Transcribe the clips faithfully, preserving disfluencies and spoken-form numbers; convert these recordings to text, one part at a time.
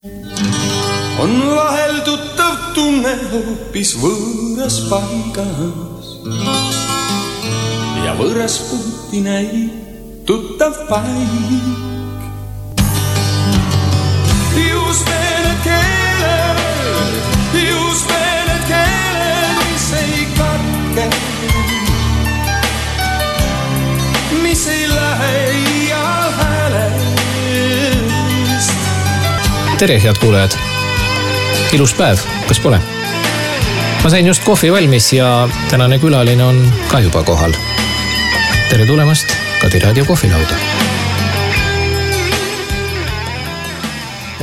On vahel tuttav tunne hoopis võõras paigas ja võõras puhti näib tuttav paik. Just need keeled, just need keeled, mis ei katke, mis ei lähe iial häälest. Tere, head kuulajad! Ilus päev, kas pole? Ma sain just kohvi valmis ja tänane külaline on ka juba kohal. Tere tulemast Kadi Raadio kohvilauda.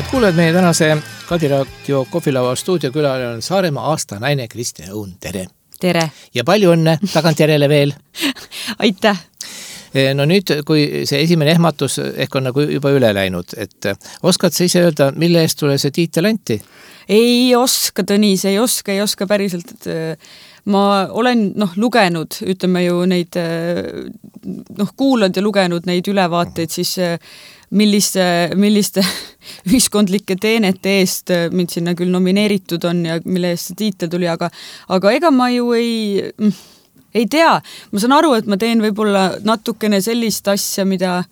Et kuuled meie tänase Kadi Raadio kohvilaua stuudiokülaline on Saaremaa aasta naine Kristjan Õun. Tere! Tere! Ja palju õnne tagantjärele veel! Aitäh! No nüüd, kui see esimene ehmatus ehk on nagu juba üle läinud, et oskad sa ise öelda, mille eest tule see tiitel anti? Ei oska, Tõnis, ei oska, ei oska päriselt. Ma olen noh, lugenud, ütleme ju neid, noh, kuulanud ja lugenud neid ülevaateid, siis milliste, milliste ühiskondlike teenete eest mind sinna küll nomineeritud on ja mille eest see tiitel tuli, aga, aga ega ma ju ei, ei tea. Ma saan aru, et ma teen võib-olla natukene sellist asja, mida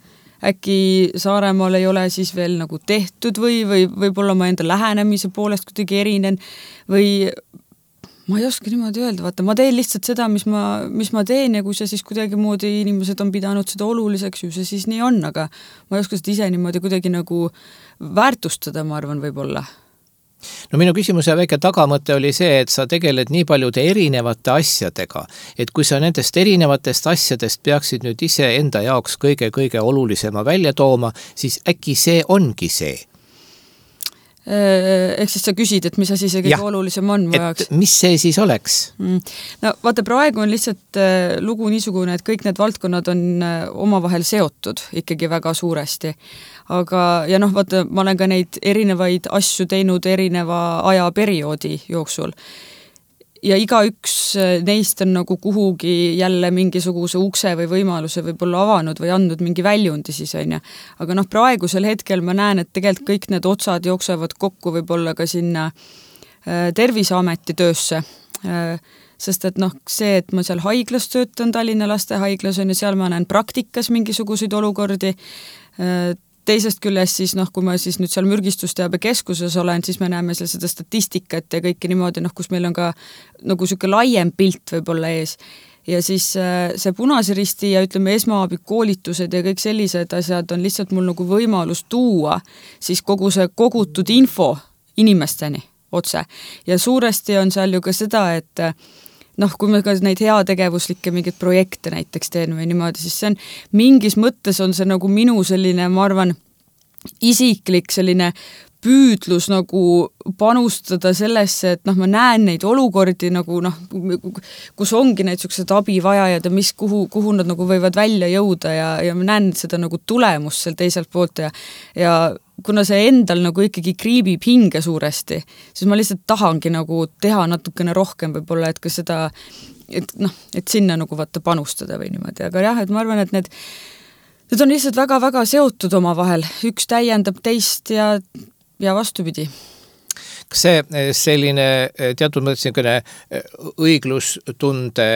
äkki Saaremaal ei ole siis veel nagu tehtud või, või võib-olla ma enda lähenemise poolest kuidagi erinen või ma ei oska niimoodi öelda, vaata, ma teen lihtsalt seda, mis ma, mis ma teen ja kui see siis kuidagi moodi inimesed on pidanud seda oluliseks, ju see siis nii on, aga ma ei oska seda ise niimoodi kuidagi nagu väärtustada, ma arvan, võib-olla. No minu küsimuse väike tagamõte oli see, et sa tegeled nii paljude erinevate asjadega, et kui sa nendest erinevatest asjadest peaksid nüüd ise enda jaoks kõige-kõige olulisema välja tooma, siis äkki see ongi see? Ehk siis sa küsid, et mis asi see kõige ja, olulisem on mu jaoks? Mis see siis oleks? No vaata, praegu on lihtsalt lugu niisugune, et kõik need valdkonnad on omavahel seotud ikkagi väga suuresti. Aga, ja noh, vaata, ma olen ka neid erinevaid asju teinud erineva ajaperioodi jooksul. Ja iga üks neist on nagu kuhugi jälle mingisuguse ukse või võimaluse võib-olla avanud või andnud mingi väljundi siis on ja. Aga noh, praegusel hetkel ma näen, et tegelikult kõik need otsad jooksevad kokku võib-olla ka sinna Terviseameti töösse. Sest et noh, see, et ma seal haiglas töötan, Tallinna lastehaiglas on ja seal ma näen praktikas mingisuguseid olukordi. Teisest küljest siis, noh, kui ma siis nüüd seal mürgistusteabe keskuses olen, siis me näeme seal seda statistikat ja kõike niimoodi, noh, kus meil on ka nagu selline laiem pilt võib-olla ees. Ja siis see Punase Risti ja ütleme esmaabikoolitused ja kõik sellised asjad on lihtsalt mul nagu võimalus tuua siis kogu see kogutud info inimesteni otse. Ja suuresti on seal ju ka seda, et noh, kui me ka neid heategevuslikke mingeid projekte näiteks teen või niimoodi, siis see on mingis mõttes on see nagu minu selline, ma arvan, isiklik selline püüdlus nagu panustada sellesse, et noh, ma näen neid olukordi nagu noh, kus ongi need sellised abivajajad ja mis, kuhu, kuhu nad nagu võivad välja jõuda ja, ja ma näen seda nagu tulemust seal teiselt poolt ja, ja kuna see endal nagu ikkagi kriibib hinge suuresti, siis ma lihtsalt tahangi nagu teha natukene rohkem võib-olla, et ka seda, et noh, et sinna nagu vaata panustada või niimoodi, aga jah, et ma arvan, et need need on lihtsalt väga-väga seotud oma vahel, üks täiendab teist ja ja vastupidi. Kas see selline teatud mõttes õiglustunde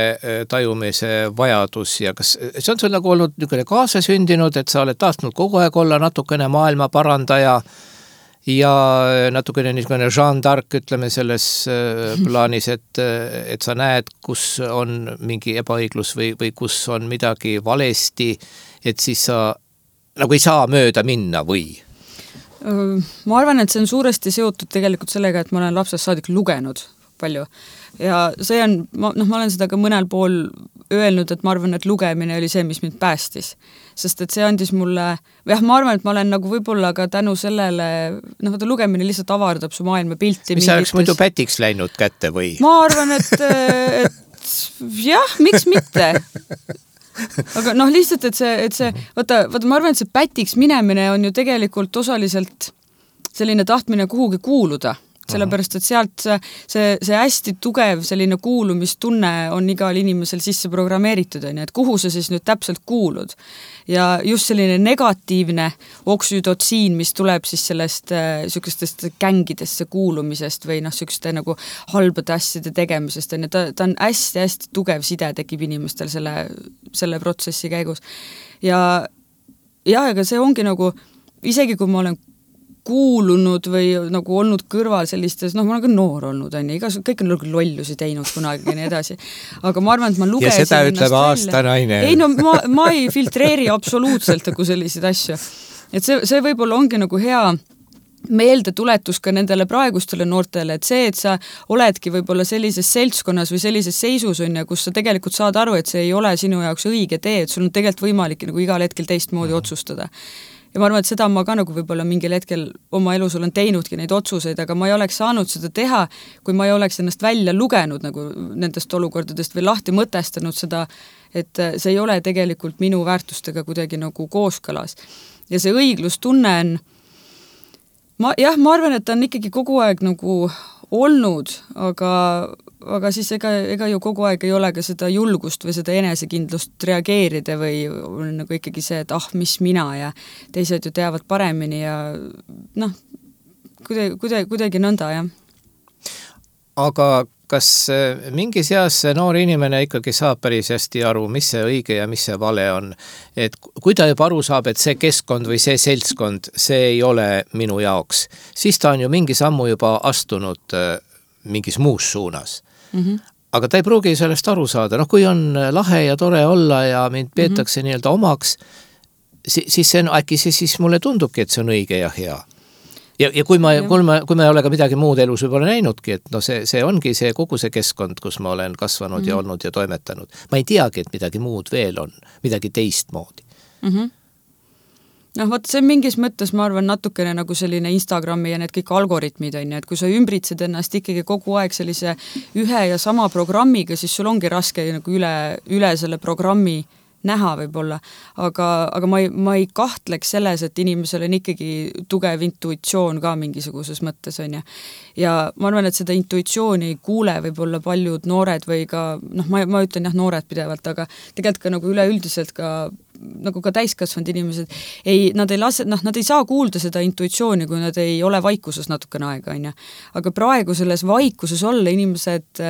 tajumise vajadus ja kas see on sul nagu olnud niisugune kaasasündinud, et sa oled tahtnud kogu aeg olla natukene maailma parandaja ja natukene niisugune Jeanne d'Arc, ütleme selles plaanis, et, et sa näed, kus on mingi ebaõiglus või, või kus on midagi valesti, et siis sa nagu ei saa mööda minna või? Ma arvan, et see on suuresti seotud tegelikult sellega, et ma olen lapsest saadik lugenud palju ja see on, noh, ma olen seda ka mõnel pool öelnud, et ma arvan, et lugemine oli see, mis mind päästis, sest et see andis mulle, jah, ma arvan, et ma olen nagu võib-olla ka tänu sellele, noh, vaata lugemine lihtsalt avardab su maailma pilti. Mis sa oleks muidu pätiks läinud kätte või? Ma arvan, et, et jah, miks mitte? Aga noh, lihtsalt, et see, et see, vaata, vaata, ma arvan, et see pätiks minemine on ju tegelikult osaliselt selline tahtmine kuhugi kuuluda. sellepärast, et sealt see, see, see hästi tugev selline kuulumistunne on igal inimesel sisse programmeeritud, on ju, et kuhu sa siis nüüd täpselt kuulud. Ja just selline negatiivne oksüdotsiin, mis tuleb siis sellest äh, sükestest gängidesse kuulumisest või noh, sükeste nagu halbade asjade tegemisest, on ju, ta, ta on hästi-hästi tugev side tekib inimestel selle, selle protsessi käigus. Ja jah, aga see ongi nagu, isegi kui ma olen kuulunud või nagu olnud kõrval sellistes, noh, ma olen ka noor olnud, on ju, igas, kõik on nagu lollusi teinud kunagi ja nii edasi. Aga ma arvan, et ma lugesin ja seda ütleb aastanaine. Ei, no ma, ma ei filtreeri absoluutselt nagu selliseid asju. Et see, see võib-olla ongi nagu hea meeldetuletus ka nendele praegustele noortele, et see, et sa oledki võib-olla sellises seltskonnas või sellises seisus on ja kus sa tegelikult saad aru, et see ei ole sinu jaoks õige tee, et sul on tegelikult võimalik nagu igal hetkel teistmoodi mm. otsustada. Ja ma arvan, et seda ma ka nagu võib-olla mingil hetkel oma elus olen teinudki neid otsuseid, aga ma ei oleks saanud seda teha, kui ma ei oleks ennast välja lugenud nagu nendest olukordadest või lahti mõtestanud seda, et see ei ole tegelikult minu väärtustega kuidagi nagu kooskõlas. Ja see õiglustunne on, ma, jah, ma arvan, et ta on ikkagi kogu aeg nagu olnud, aga, aga siis ega, ega ju kogu aeg ei ole ka seda julgust või seda enesekindlust reageerida või nagu ikkagi see, et ah, mis mina ja teised ju teavad paremini ja noh, kuidagi, kuidagi, kuidagi nõnda, jah. Aga kas mingis eas see noor inimene ikkagi saab päris hästi aru, mis see õige ja mis see vale on? Et kui ta juba aru saab, et see keskkond või see seltskond, see ei ole minu jaoks, siis ta on ju mingi sammu juba astunud mingis muus suunas. Mm-hmm. Aga ta ei pruugi sellest aru saada. Noh, kui on lahe ja tore olla ja mind peetakse mm-hmm. nii-öelda omaks, siis see on, äkki see siis mulle tundubki, et see on õige ja hea. Ja, ja kui ma, kui ma, kui ma ei ole ka midagi muud elus võib-olla näinudki, et no see, see ongi see kogu see keskkond, kus ma olen kasvanud mm-hmm. ja olnud ja toimetanud. Ma ei teagi, et midagi muud veel on, midagi teistmoodi. Mm-hmm. Noh, vaat see mingis mõttes, ma arvan, natukene nagu selline Instagrami ja need kõik algoritmid on, et kui sa ümbritsed ennast ikkagi kogu aeg sellise ühe ja sama programmiga, siis sul ongi raske nagu üle, üle selle programmi näha võib-olla, aga, aga ma ei, ma ei kahtleks selles, et inimesel on ikkagi tugev intuitsioon ka mingisuguses mõttes, on ja. Ja ma arvan, et seda intuitsiooni ei kuule võib-olla paljud noored või ka, noh, ma, ma ütlen jah, noored pidevalt, aga tegelikult ka nagu üleüldiselt ka nagu ka täiskasvanud inimesed, ei, nad ei lase, noh, nad ei saa kuulda seda intuitsiooni, kui nad ei ole vaikuses natukene aega, on ja. Aga praegu selles vaikuses olla inimesed,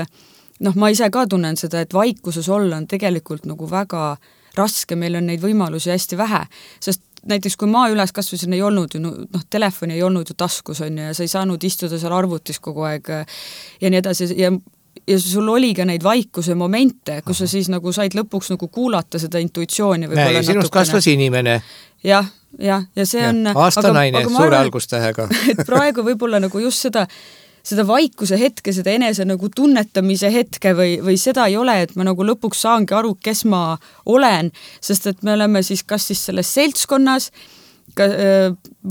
noh, ma ise ka tunnen seda, et vaikuses olla on tegelikult nagu väga raske, meil on neid võimalusi hästi vähe, sest näiteks kui ma üles kasvasin, ei olnud ju, noh, telefoni ei olnud ju taskus, on ju, ja sa ei saanud istuda seal arvutis kogu aeg ja nii edasi, ja ja sul oli ka neid vaikuse momente, kus sa siis nagu said lõpuks nagu kuulata seda intuitsiooni. Näe, sinust kasvas inimene. Jah, jah, ja see ja, on... Aastanaine, suure algustähega. Et praegu võib-olla nagu just seda, seda vaikuse hetke, seda enese nagu tunnetamise hetke või, või seda ei ole, et ma nagu lõpuks saangi aru, kes ma olen, sest et me oleme siis kas siis selles seltskonnas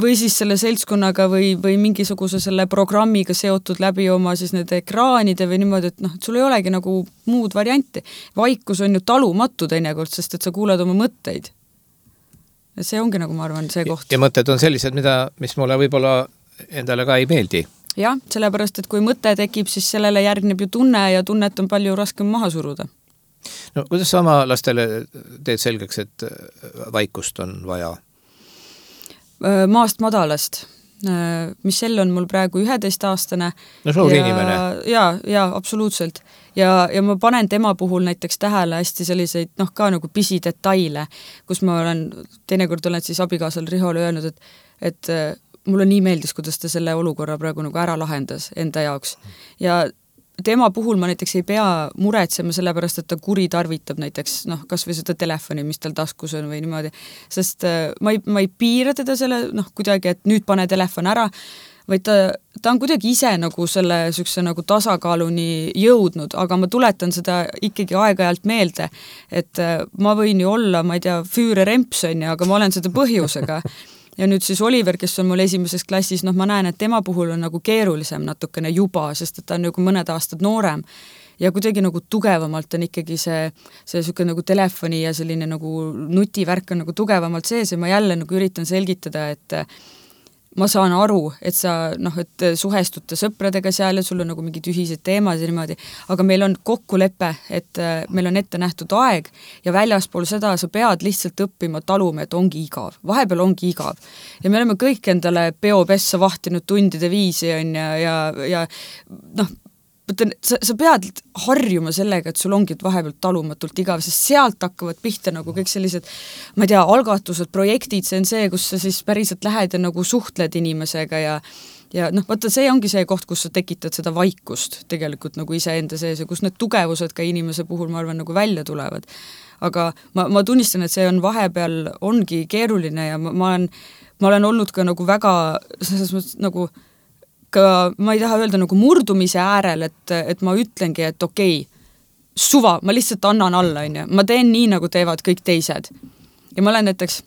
või siis selle seltskonnaga või, või mingisuguse selle programmiga seotud läbi oma siis need ekraanide või niimoodi, et noh, et sul ei olegi nagu muud varianti. Vaikus on ju talumatu teinekord, sest et sa kuuled oma mõtteid. Ja see ongi nagu ma arvan see koht. Ja mõtted on sellised, mida, mis mulle võib-olla endale ka ei meeldi. Jah, sellepärast, et kui mõte tekib, siis sellele järgneb ju tunne ja tunnet on palju raskem maha suruda. No kuidas sa oma lastele teed selgeks, et vaikust on vaja? Maast madalast. Michelle on mul praegu üheteistaastane. No suur ja, inimene. Ja, ja absoluutselt. Ja, ja ma panen tema puhul näiteks tähele hästi selliseid, noh ka nagu pisidetaile, kus ma olen, teinekord olen siis abikaasal Rihole öelnud, et, et mulle nii meeldis, kuidas ta selle olukorra praegu nagu ära lahendas enda jaoks. Ja tema puhul ma näiteks ei pea muretsema sellepärast, et ta kuri tarvitab näiteks, noh, kas või seda telefoni, mis tal taskus on või niimoodi, sest ma ei, ma ei piira teda selle, noh, kuidagi, et nüüd pane telefon ära, vaid ta, ta on kuidagi ise nagu selle sükse nagu tasakaaluni jõudnud, aga ma tuletan seda ikkagi aeg-ajalt meelde, et ma võin ju olla, ma ei tea, Füüre Rempson, aga ma olen seda põhjusega. Ja nüüd siis Oliver, kes on mul esimeses klassis, noh ma näen, et tema puhul on nagu keerulisem natukene juba, sest et ta on nagu mõned aastad noorem ja kuidagi nagu tugevamalt on ikkagi see, see süke nagu telefoni ja selline nagu nutivärk on nagu tugevamalt sees ja ma jälle nagu üritan selgitada, et ma saan aru, et sa noh, et suhestute sõpradega seal ja sul on nagu mingid ühised teemad ja niimoodi, aga meil on kokkulepe, et meil on ette nähtud aeg ja väljaspool seda sa pead lihtsalt õppima taluma, et ongi igav. Vahepeal ongi igav. Ja me oleme kõik endale peopessa vahtinud tundide viisi on ja, ja, ja noh, mõtlen, sa, sa pead harjuma sellega, et sul ongi vahepealt talumatult igav, sest sealt hakkavad pihta nagu kõik sellised, ma ei tea, algatused, projektid, see on see, kus sa siis päriselt lähed ja nagu suhtled inimesega ja ja noh, vaata, see ongi see koht, kus sa tekitad seda vaikust tegelikult nagu iseenda sees ja kus need tugevused ka inimese puhul, ma arvan, nagu välja tulevad. Aga ma, ma tunnistan, et see on vahepeal ongi keeruline ja ma, ma, olen, ma olen olnud ka nagu väga selles mõttes nagu ka, ma ei taha öelda nagu murdumise äärel, et, et ma ütlengi, et okei, suva, ma lihtsalt annan alla, on ju. Ma teen nii, nagu teevad kõik teised. Ja ma olen näiteks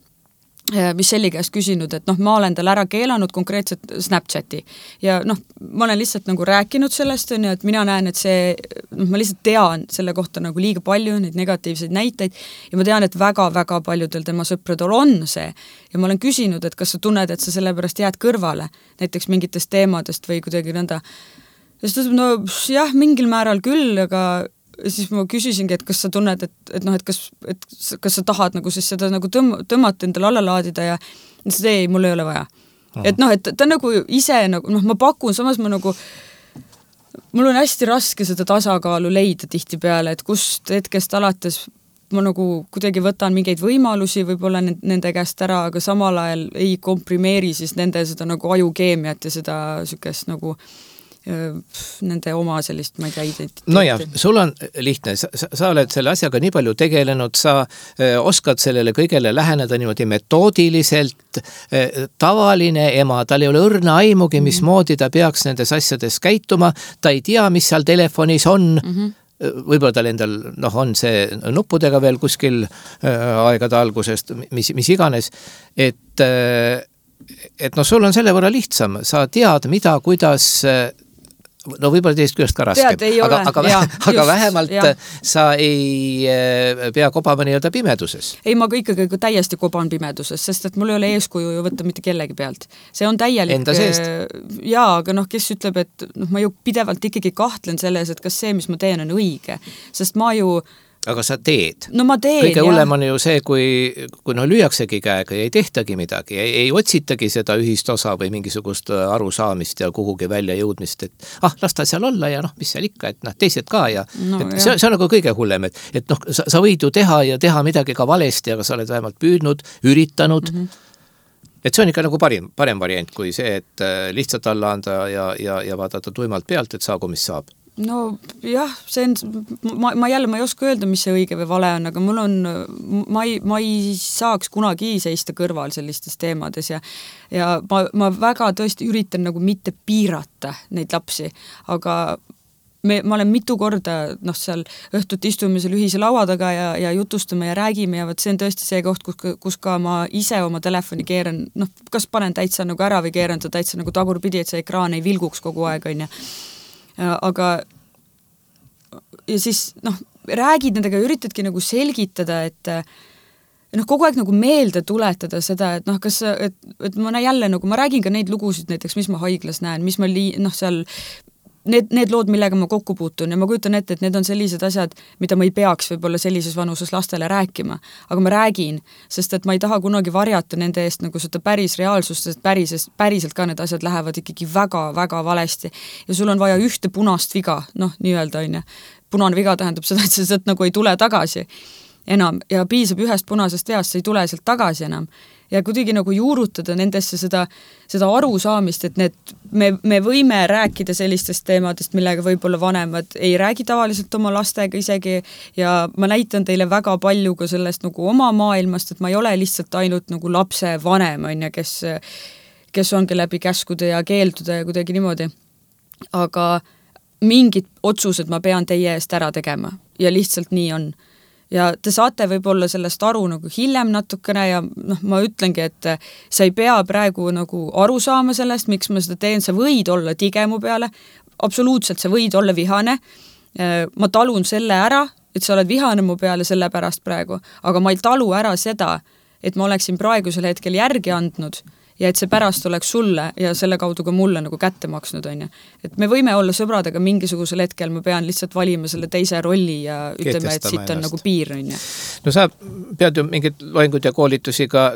Michelli käest küsinud, et noh, ma olen tal ära keelanud konkreetselt Snapchati ja noh, ma olen lihtsalt nagu rääkinud sellest, on ju, et mina näen, et see, noh, ma lihtsalt tean selle kohta nagu liiga palju neid negatiivseid näiteid ja ma tean, et väga-väga paljudel tema sõpradel on see ja ma olen küsinud, et kas sa tunned, et sa sellepärast jääd kõrvale näiteks mingitest teemadest või kuidagi nõnda. Ja siis no jah, mingil määral küll, aga siis ma küsisingi, et kas sa tunned, et, et noh, et kas, et kas sa tahad nagu siis seda nagu tõmm, tõmmata endale alla laadida ja siis ei, mul ei ole vaja. Aha. Et noh, et ta nagu ise nagu, noh, ma pakun, samas ma nagu mul on hästi raske seda tasakaalu leida tihti peale, et kust hetkest alates ma nagu kuidagi võtan mingeid võimalusi võib-olla nende käest ära, aga samal ajal ei komprimeeri siis nende seda nagu ajukeemiat ja seda sükest nagu nende oma sellist, ma ei tea, identiteeti. No jah, sul on lihtne, sa, sa oled selle asjaga nii palju tegelenud, sa öö, oskad sellele kõigele läheneda niimoodi metoodiliselt, tavaline ema, tal ei ole õrna aimugi, mismoodi ta peaks nendes asjades käituma, ta ei tea, mis seal telefonis on, mm-hmm. võib-olla tal endal noh, on see nuppudega veel kuskil öö, aegade algusest, mis, mis iganes, et öö, et no sul on selle võrra lihtsam, sa tead, mida, kuidas no võib-olla teist küljest ka raskem, tead, aga, aga, ja, aga just, vähemalt ja. Sa ei pea kobama nii-öelda pimeduses. Ei, ma ikkagi täiesti koban pimeduses, sest et mul ei ole eeskuju ju võtta mitte kellegi pealt. See on täielik... Enda seest? Jaa, aga noh, kes ütleb, et noh, ma ju pidevalt ikkagi kahtlen selles, et kas see, mis ma teen, on õige. Sest ma ju aga sa teed. No ma teen, kõige hullem on ju see, kui, kui no lüüaksegi käega ja ei tehtagi midagi, ei, ei otsitagi seda ühist osa või mingisugust arusaamist ja kuhugi välja jõudmist, et ah, las ta seal olla ja noh, mis seal ikka, et noh, teised ka ja, no, et see, see on nagu kõige hullem, et, et noh, sa, sa võid ju teha ja teha midagi ka valesti, aga sa oled vähemalt püüdnud, üritanud, mm-hmm. et see on ikka nagu parim, parem variant kui see, et lihtsalt alla anda ja, ja, ja vaadata tuimalt pealt, et saagu, mis saab. No jah, see on, ma, ma jälle, ma ei oska öelda, mis see õige või vale on, aga mul on, ma ei, ma ei saaks kunagi seista kõrval sellistes teemades ja, ja ma, ma väga tõesti üritan nagu mitte piirata neid lapsi, aga me, ma olen mitu korda, noh, seal õhtut istume seal ühise laua taga ja, ja jutustame ja räägime ja võt see on tõesti see koht, kus, kus ka ma ise oma telefoni keeran, noh, kas panen täitsa nagu ära või keeran ta täitsa nagu tagurpidi, et see ekraan ei vilguks kogu aeg, on ja aga ja siis noh, räägid nendega, üritadki nagu selgitada, et noh, kogu aeg nagu meelde tuletada seda, et noh, kas, et, et ma jälle nagu, ma räägin ka neid lugusid näiteks, mis ma haiglas näen, mis ma lii, noh, seal need, need lood, millega ma kokku puutun ja ma kujutan ette, et need on sellised asjad, mida ma ei peaks võib-olla sellises vanuses lastele rääkima, aga ma räägin, sest et ma ei taha kunagi varjata nende eest nagu seda päris reaalsust, sest päriselt, päriselt ka need asjad lähevad ikkagi väga-väga valesti ja sul on vaja ühte punast viga, noh, nii-öelda on ja punane viga tähendab seda, et see sealt nagu ei tule tagasi enam ja piisab ühest punasest veast, see ei tule sealt tagasi enam ja kuidagi nagu juurutada nendesse seda, seda arusaamist, et need, me, me võime rääkida sellistest teemadest, millega võib-olla vanemad ei räägi tavaliselt oma lastega isegi ja ma näitan teile väga palju ka sellest nagu oma maailmast, et ma ei ole lihtsalt ainult nagu lapse vanem, on ja kes, kes ongi läbi käskude ja keelduda ja kuidagi niimoodi. Aga mingid otsused ma pean teie eest ära tegema ja lihtsalt nii on. Ja te saate võib-olla sellest aru nagu hiljem natukene ja noh, ma ütlengi, et sa ei pea praegu nagu aru saama sellest, miks ma seda teen, sa võid olla tige mu peale, absoluutselt sa võid olla vihane, ma talun selle ära, et sa oled vihane mu peale selle pärast praegu, aga ma ei talu ära seda, et ma oleksin praegusel hetkel järgi andnud ja et see pärast oleks sulle ja selle kaudu ka mulle nagu kätte maksnud, on ju. Et me võime olla sõbrad, aga mingisugusel hetkel ma pean lihtsalt valima selle teise rolli ja ütleme, et siit on nagu piir, on ju. No sa pead ju mingid loengud ja koolitusi ka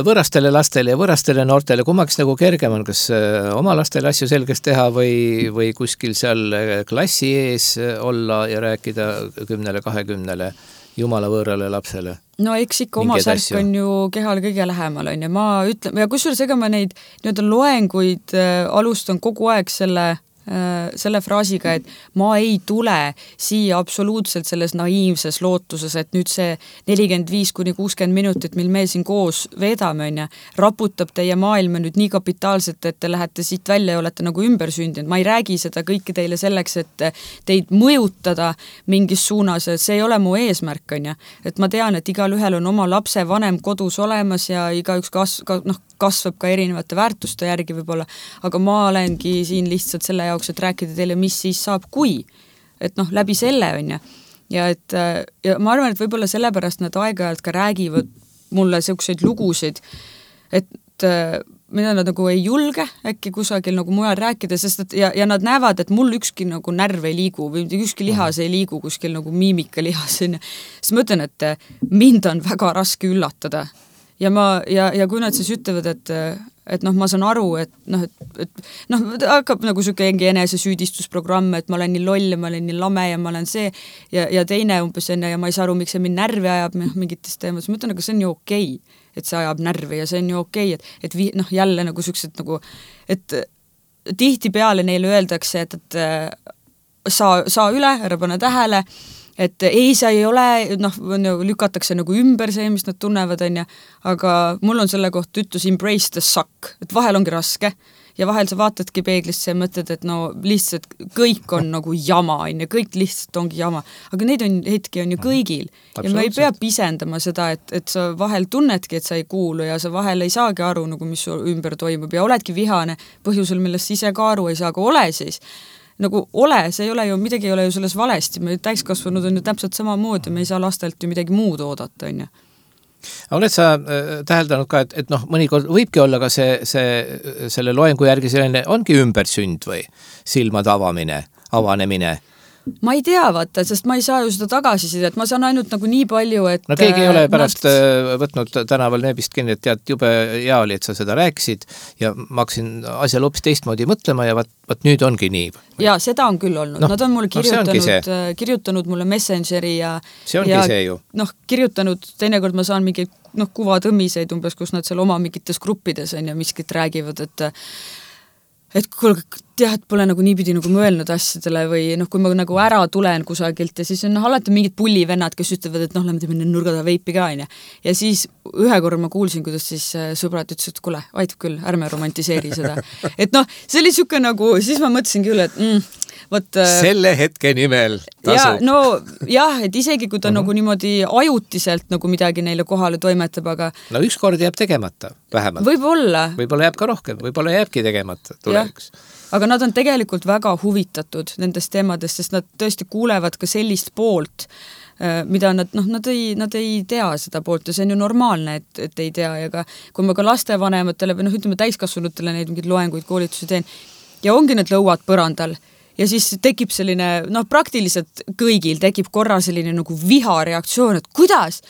võõrastele lastele ja võõrastele noortele, kummaks nagu kergem on, kas oma lastele asju selgeks teha või, või kuskil seal klassi ees olla ja rääkida kümnele, kahekümnele jumala võõrale lapsele? No eks ikka oma särk on ju kehale kõige lähemal, on ju. Ma ütlen, ja kusjuures ega ma neid nii-öelda loenguid äh, alustan kogu aeg selle, äh, selle fraasiga, et ma ei tule siia absoluutselt selles naiivses lootuses, et nüüd see nelikümmend viis kuni kuuskümmend minutit, mil me siin koos veedame, on ju, raputab teie maailma nüüd nii kapitaalselt, et te lähete siit välja ja olete nagu ümbersündinud. Ma ei räägi seda kõike teile selleks, et teid mõjutada mingis suunas, see ei ole mu eesmärk, on ju. Et ma tean, et igal ühel on oma lapse vanem kodus olemas ja igaüks kas, ka, noh, kasvab ka erinevate väärtuste järgi võib-olla, aga ma olengi siin lihtsalt selle jaoks, et rääkida teile, mis siis saab, kui. Et noh, läbi selle, on ju. Ja, et, ja ma arvan, et võib-olla sellepärast nad aeg-ajalt ka räägivad mulle selliseid lugusid, et mida nad nagu ei julge äkki kusagil nagu mujal rääkida, sest et ja, ja nad näevad, et mul ükski nagu närv ei liigu või ükski lihas ei liigu kuskil nagu miimika lihas. Siis ma ütlen, et mind on väga raske üllatada. Ja, ma, ja, ja kui nad siis ütlevad, et, et noh, ma saan aru, et noh, et, et noh, hakkab nagu siuke enese süüdistusprogramm, et ma olen nii loll ja ma olen nii lame ja ma olen see ja, ja teine umbes enne ja ma ei saa aru, miks see mind närvi ajab mingites teemas. Ma ütlen, aga see on ju okei, et see ajab närvi ja see on ju okei, et, et vi, noh, jälle nagu siuksed nagu, et tihti peale neile öeldakse, et, et saa, saa üle, ära pane tähele, et ei, see ei ole, noh, lükatakse nagu ümber see, mis nad tunnevad, on ja, aga mul on selle kohta ütlus embrace the suck, et vahel ongi raske ja vahel sa vaatadki peeglisse ja mõtled, et no lihtsalt kõik on nagu jama, on ja kõik lihtsalt ongi jama, aga neid on, hetki on ju kõigil ja me ei pea pisendama seda, et, et sa vahel tunnedki, et sa ei kuulu ja sa vahel ei saagi aru, nagu mis ümber toimub ja oledki vihane põhjusel, millest ise ka aru ei saa, aga ole siis nagu ole, see ei ole ju, midagi ei ole ju selles valesti, me täiskasvanud on ju täpselt sama moodi, me ei saa lastelt ju midagi muud oodata, on ju. Oled sa täheldanud ka, et, et noh, mõnikord võibki olla ka see, see, selle loengu järgi selline, ongi ümbersünd või silmade avamine, avanemine? Ma ei tea, vaata, sest ma ei saa ju seda tagasisida, et ma saan ainult nagu nii palju, et no keegi ei ole pärast nad... võtnud tänaval neebist kinni, et tead, jube hea oli, et sa seda rääkisid ja ma hakkasin asjal hoopis teistmoodi mõtlema ja vaat, vaat nüüd ongi nii. Ja seda on küll olnud. No, Nad on mulle kirjutanud, no kirjutanud mulle Messengeri ja see ongi ja, see ju. Noh, kirjutanud, teinekord ma saan mingi noh, kuvatõmmiseid umbes, kus nad seal oma mingites gruppides on ja miskit räägivad, et et kuule, jah, et pole nagu niipidi nagu mõelnud asjadele või noh, kui ma nagu ära tulen kusagilt ja siis on noh, alati mingid pullivennad, kes ütlevad, et noh, lähme teeme nurgada veipi ka, on ja. Ja siis ühe korra ma kuulsin, kuidas siis sõbrad ütlesid, et kuule, aitab küll, ärme romantiseeri seda. Et noh, see oli siuke nagu, siis ma mõtlesin küll, et mm, võt, selle hetke nimel tasub. Ja, no jah, et isegi kui ta uh-huh. nagu niimoodi ajutiselt nagu midagi neile kohale toimetab, aga no üks kord jääb tegemata, vähemalt. Võib-olla. Võib-olla jääb ka rohkem, võib-olla jääbki tegemata tuleviks. Aga nad on tegelikult väga huvitatud nendest teemadest, sest nad tõesti kuulevad ka sellist poolt, mida nad, noh, nad ei, nad ei tea seda poolt ja see on ju normaalne, et, et ei tea ja ka kui ma ka lastevanematele või noh, ütleme täiskasvanutele neid mingid loenguid, koolitusi teen ja ongi need lõuad põrandal ja siis tekib selline, noh, praktiliselt kõigil tekib korra selline nagu vihareaktsioon, et kuidas,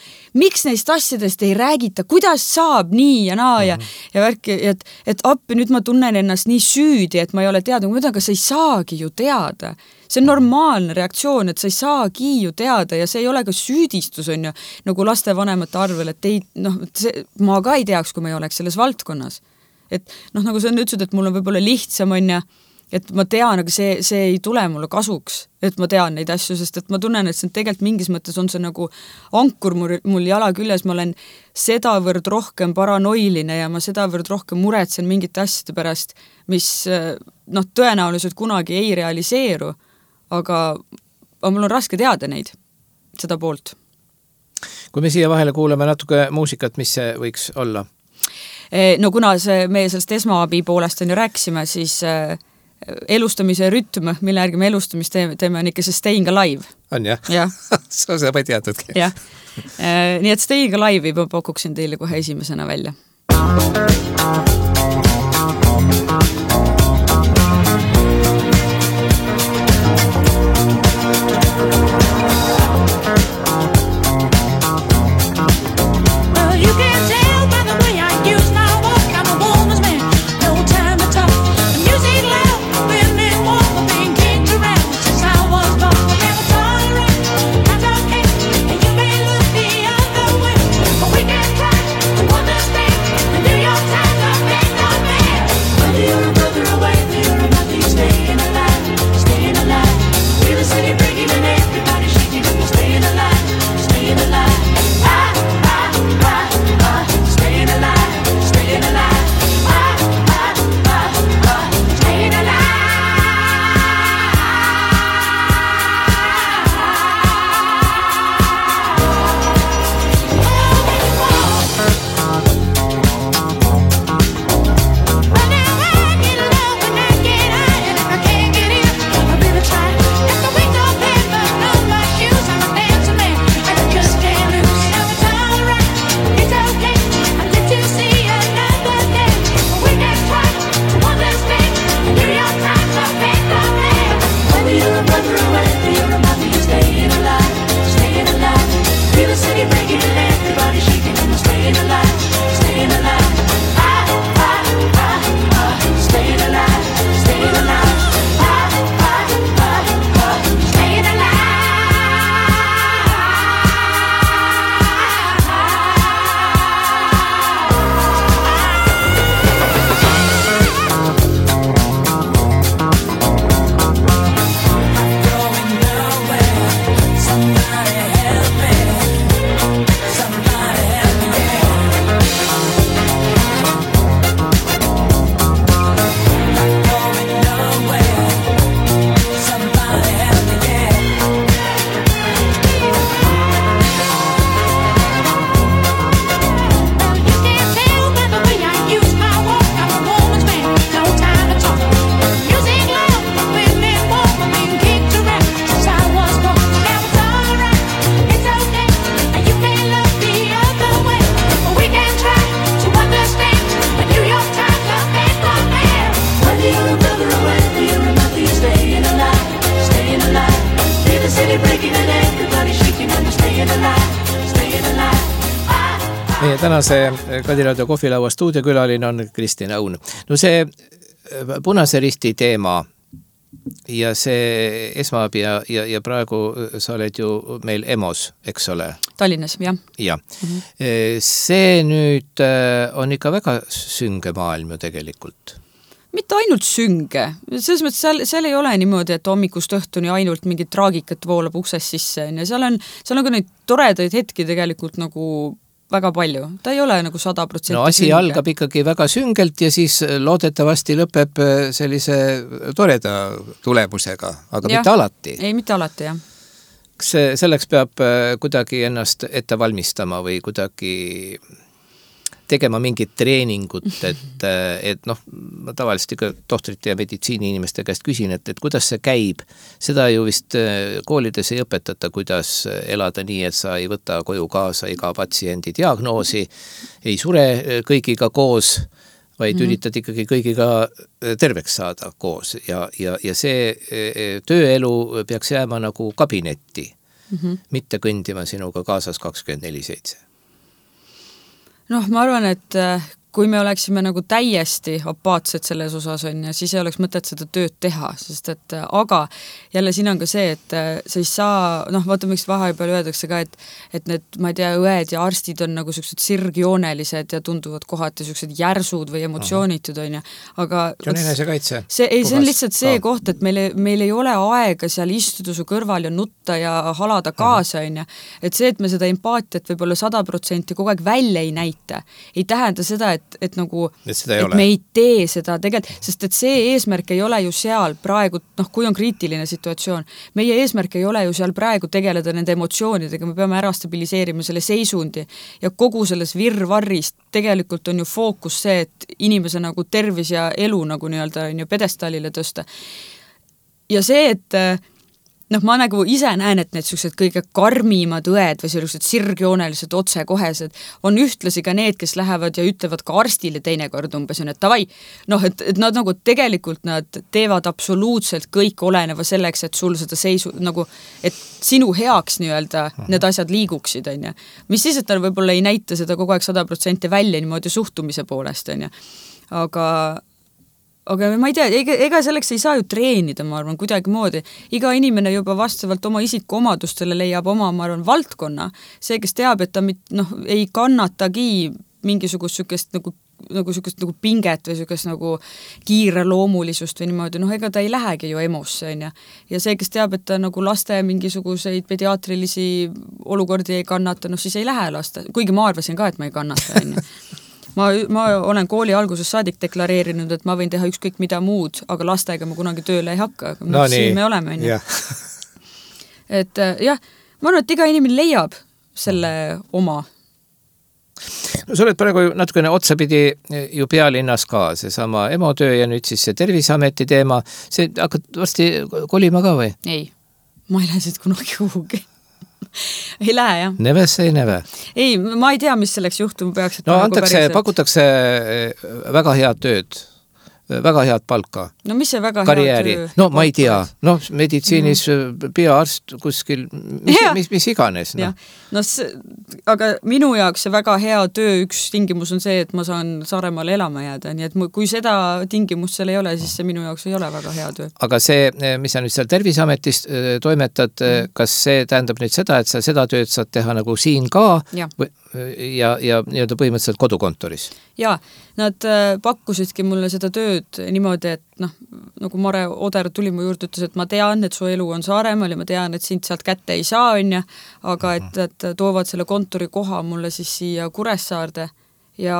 miks neist asjadest ei räägita, kuidas saab nii ja naa ja, ja värki, et, et appi, nüüd ma tunnen ennast nii süüdi, et ma ei ole teada, ma ütlen, aga sa ei saagi ju teada. See on normaalne reaktsioon, et sa ei saagi ju teada ja see ei ole ka süüdistus, on ju, nagu lastevanemate arvel, et ei, noh, see, ma ka ei teaks, kui ma ei oleks selles valdkonnas. Et noh, nagu sa ütlesid, et mul on võib-olla lihtsam, on ja et ma tean, aga see, see ei tule mulle kasuks, et ma tean neid asju, sest et ma tunnen, et see on tegelikult mingis mõttes on see nagu ankur mul, mul jala küljes, ma olen sedavõrd rohkem paranoiline ja ma sedavõrd rohkem muretsen mingite asjade pärast, mis noh, tõenäoliselt kunagi ei realiseeru, aga, aga mul on raske teada neid, seda poolt. Kui me siia vahele kuuleme natuke muusikat, mis see võiks olla? No kuna see, meie sellest esmaabi poolest on ju rääkisime, siis elustamise rütm, mille järgi me elustamist teeme, teeme on ikka see Staying Alive. On jah? Ja. sa sa ei teadnudki. Jah. Nii et Staying Alive'i ma pakuksin teile kohe esimesena välja. tänase Kadiraadio kohvilaua stuudiokülaline on Kristin Aun. No see Punase Risti teema ja see esmaabi ja, ja, ja praegu sa oled ju meil E M O-s, eks ole? Tallinnas, jah. Ja. Mm-hmm. See nüüd on ikka väga sünge maailm ju tegelikult. Mitte ainult sünge. Selles mõttes seal, seal ei ole niimoodi, et hommikust õhtuni ainult mingit traagikat voolab uksest sisse. Ja seal on, seal on ka neid toredaid hetki tegelikult nagu väga palju. Ta ei ole nagu sada protsenti No asi sünge. Algab ikkagi väga süngelt ja siis loodetavasti lõpeb sellise toreda tulemusega, aga ja. Mitte alati. Ei, mitte alati, jah. Kas selleks peab kuidagi ennast ette valmistama või kuidagi tegema mingit treeningut, et, et noh, ma tavaliselt ikka tohtrite ja meditsiini inimeste käest küsin, et, et kuidas see käib. Seda ju vist koolides ei õpetata, kuidas elada nii, et sa ei võta koju kaasa iga patsiendi diagnoosi, ei sure kõigiga koos, vaid mm-hmm. üritad ikkagi kõigiga terveks saada koos ja, ja, ja see tööelu peaks jääma nagu kabinetti, mm-hmm. mitte kõndima sinuga kaasas kakskümmend neli seitse. Noh, ma arvan, et kui me oleksime nagu täiesti apaatsed selles osas on ja siis ei oleks mõtet seda tööd teha, sest et aga jälle siin on ka see, et sa ei saa, noh, vaata, miks vahepeal öeldakse ka, et, et need, ma ei tea, õed ja arstid on nagu sellised sirgjoonelised ja tunduvad kohati sellised järsud või emotsioonitud on ja, aga see on enesekaitse. See, ei, see on lihtsalt see koht, et meil, meil ei ole aega seal istuda su kõrval ja nutta ja halada kaasa on ja, et see, et me seda empaatiat võib-olla sada protsenti kogu aeg välja ei näita, ei tähenda seda, et Et, et nagu, et, et me ei tee seda tegelikult, sest et see eesmärk ei ole ju seal praegu, noh, kui on kriitiline situatsioon, meie eesmärk ei ole ju seal praegu tegeleda nende emotsioonidega, me peame ära stabiliseerima selle seisundi ja kogu selles virvarrist tegelikult on ju fookus see, et inimese nagu tervis ja elu nagu nii-öelda on ju pedestaalile tõsta. Ja see, et noh, ma nagu ise näen, et need sellised kõige karmimad õed või sellised sirgjoonelised otsekohesed on ühtlasi ka need, kes lähevad ja ütlevad ka arstile teinekord umbes, et tavai, noh, et, et nad nagu tegelikult nad teevad absoluutselt kõik oleneva selleks, et sul seda seisu, nagu, et sinu heaks nii-öelda need asjad liiguksid, on ja. Mis siis, et nad võib-olla ei näita seda kogu aeg sada protsenti välja niimoodi suhtumise poolest, on ja. Aga aga ma ei tea, ega, ega selleks ei saa ju treenida, ma arvan, kuidagi moodi. Iga inimene juba vastavalt oma isiku omadustele leiab oma, ma arvan, valdkonna. See, kes teab, et ta mit, noh, ei kannatagi mingisugust sükest nagu, nagu sükest nagu pinget või sükest nagu kiire loomulisust või niimoodi, noh, ega ta ei lähegi ju emosse, on ja. Ja see, kes teab, et ta nagu laste mingisuguseid pediaatrilisi olukordi ei kannata, noh, siis ei lähe laste. Kuigi ma arvasin ka, et ma ei kannata, on ja. Ma, ma olen kooli alguses saadik deklareerinud, et ma võin teha ükskõik mida muud, aga lastega ma kunagi tööle ei hakka. Aga no, siin nii. Me oleme. Ja. Et jah, ma arvan, et iga inimene leiab selle oma. No sa oled praegu natukene otsapidi ju pealinnas ka, see sama E M O töö ja nüüd siis see Terviseameti teema. See hakkad varsti kolima ka või? Ei, ma ei lähe siit kunagi kuhugi. Ei lähe, jah. Neve see ei neve. Ei, ma ei tea, mis selleks juhtuma peaks. No antakse, pakutakse väga head tööd, väga head palka. No mis see väga karjääri. Head töö? No ma ei tea. No meditsiinis mm. peaarst kuskil, mis, mis, mis iganes. No, no see, aga minu jaoks see väga hea töö üks tingimus on see, et ma saan Saaremaal elama jääda. Nii et kui seda tingimust seal ei ole, siis see minu jaoks ei ole väga hea töö. Aga see, mis sa nüüd seal Terviseametis toimetad, mm. kas see tähendab nüüd seda, et sa seda tööd saad teha nagu siin ka ja, või, ja, ja nii-öelda põhimõtteliselt kodukontoris? Jaa, nad pakkusidki mulle seda tööd niimoodi, et noh, nagu Mare Oder tuli mu juurde, ütles, et ma tean, et su elu on Saaremaal ja ma tean, et sind sealt kätte ei saa, on ja, aga et, et toovad selle kontori koha mulle siis siia Kuressaarde ja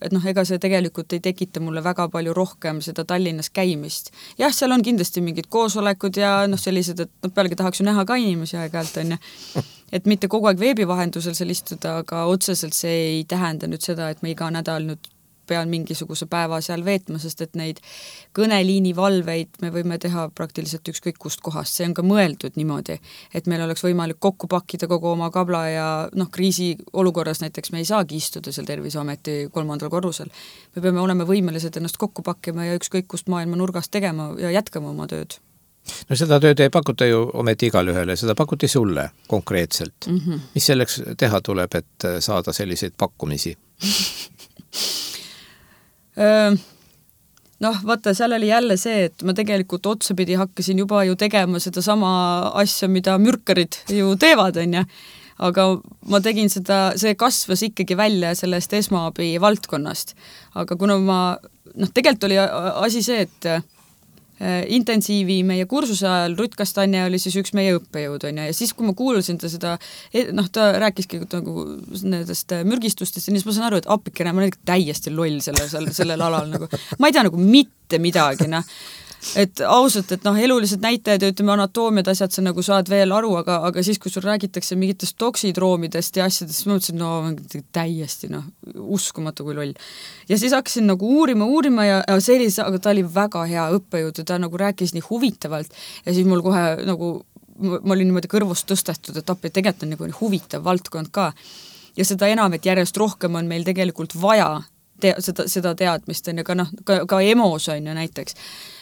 et noh, ega see tegelikult ei tekita mulle väga palju rohkem seda Tallinnas käimist. Jah, seal on kindlasti mingid koosolekud ja noh, sellised, et noh, pealegi tahaks ju näha ka inimesi aeg-ajalt, on ja. Et mitte kogu aeg veebivahendusel seal istuda, aga otseselt see ei tähenda nüüd seda, et me iga nädal nüüd pean mingisuguse päeva seal veetma, sest et neid kõneliini valveid me võime teha praktiliselt ükskõik kust kohast. See on ka mõeldud niimoodi, et meil oleks võimalik kokku pakkida kogu oma kabla ja noh, kriisi olukorras näiteks me ei saagi istuda seal Terviseameti kolmandal korrusel. Me peame olema võimelised ennast kokku pakkima ja ükskõik kust maailma nurgast tegema ja jätkama oma tööd. No seda tööd ei pakuta ju ometi igal ühele, seda pakuti sulle konkreetselt. Mm-hmm. Mis selleks teha tuleb, et saada selliseid pakkumisi? Noh, vaata, seal oli jälle see, et ma tegelikult otsapidi hakkasin juba ju tegema seda sama asja, mida mürkarid ju teevad, on ja. Aga ma tegin seda, see kasvas ikkagi välja sellest esmaabi valdkonnast. Aga kuna ma, noh, tegelikult oli asi see, et intensiivi meie kursuse ajal Rutt Kastanje oli siis üks meie õppejõud, on ja, ja siis, kui ma kuulasin ta seda, noh, ta rääkiski nagu nendest mürgistustest ja siis ma saan aru, et appikene, ma olen täiesti loll selle, selle, sellel alal, nagu, ma ei tea nagu mitte midagi, noh, et ausalt, et noh, elulised näitajad ja ütleme anatoomiad asjad sa nagu saad veel aru, aga, aga siis, kui sul räägitakse mingitest toksidroomidest ja asjadest, ma mõtlesin, no täiesti, noh, uskumatu kui loll. Ja siis hakkasin nagu uurima, uurima ja, ja see oli, aga ta oli väga hea õppejõud ja ta nagu rääkis nii huvitavalt ja siis mul kohe nagu, ma olin niimoodi kõrvust tõstetud, et appi tegelikult on nagu huvitav valdkond ka. Ja seda enam, et järjest rohkem on meil tegelikult vaja te, seda, seda teadmist, on ja ka, noh, ka, ka emos on ju näiteks.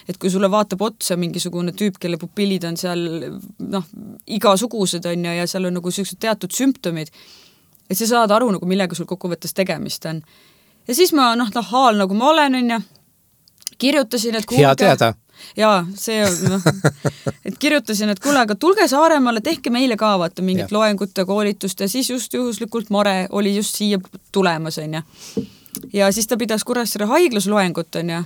Et kui sulle vaatab otsa mingisugune tüüp, kelle pupillid on seal noh, igasugused on ja, ja seal on nagu sellised teatud sümptomid, et sa saad aru, nagu, millega sul kokkuvõttes tegemist on. Ja siis ma noh, haal nagu ma olen on ja kirjutasin, et kuulge, hea teada. Jaa, see on, noh, et kirjutasin, et kuule, aga tulge Saaremaale, tehke meile ka vaata mingit ja. Loengut ja koolitust ja siis just juhuslikult Mare oli just siia tulemas on ja. Ja siis ta pidas Kuressaare haiglas loengut on ja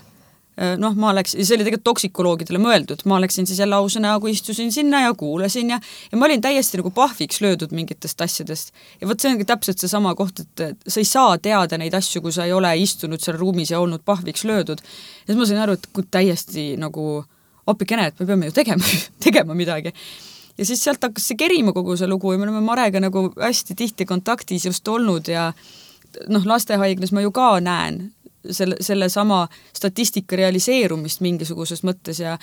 noh, ma läksin, see oli tegelikult toksikoloogidele mõeldud, ma läksin siis jälle ausa näogu, istusin sinna ja kuulasin ja, ja ma olin täiesti nagu pahviks löödud mingitest asjadest. Ja võt see ongi täpselt see sama koht, et sa ei saa teada neid asju, kui sa ei ole istunud seal ruumis ja olnud pahviks löödud. Ja siis ma sain aru, et kui täiesti nagu appikene, et me peame ju tegema, tegema midagi. Ja siis sealt hakkas see kerima kogu see lugu ja me oleme Marega nagu hästi tihti kontaktis just olnud ja noh, lastehaiglas ma ju ka näen selle, selle sama statistika realiseerumist mingisuguses mõttes ja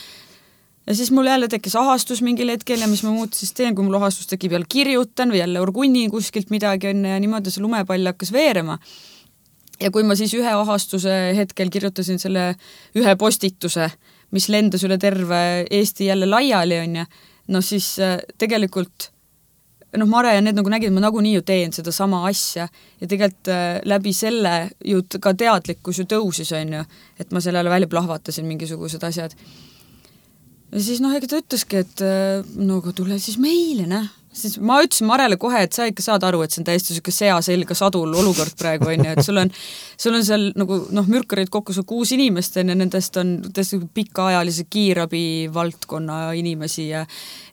ja siis mul jälle tekkis ahastus mingil hetkel ja mis ma muud siis teen, kui mul ahastus tekib jälle kirjutan või jälle orgunni kuskilt midagi on ja niimoodi see lumepall hakkas veerema. Ja kui ma siis ühe ahastuse hetkel kirjutasin selle ühe postituse, mis lendas üle terve Eesti jälle laiali on ja no siis tegelikult noh, Mare ja need nagu nägid, ma nagunii ju teen seda sama asja ja tegelikult äh, läbi selle ju ka teadlikkus ju tõusis on ju, et ma sellele välja plahvatasin mingisugused asjad. Ja siis noh, ega ta ütleski, et äh, no aga tule siis meile, näh. Siis ma ütlesin Marele kohe, et sa ikka saad aru, et see on täiesti selline sea selga sadul olukord praegu on ju, et sul on, sul on seal nagu noh, mürkarid kokku sul kuus inimest on ja nendest on tõesti pikaajalise kiirabi valdkonna inimesi ja,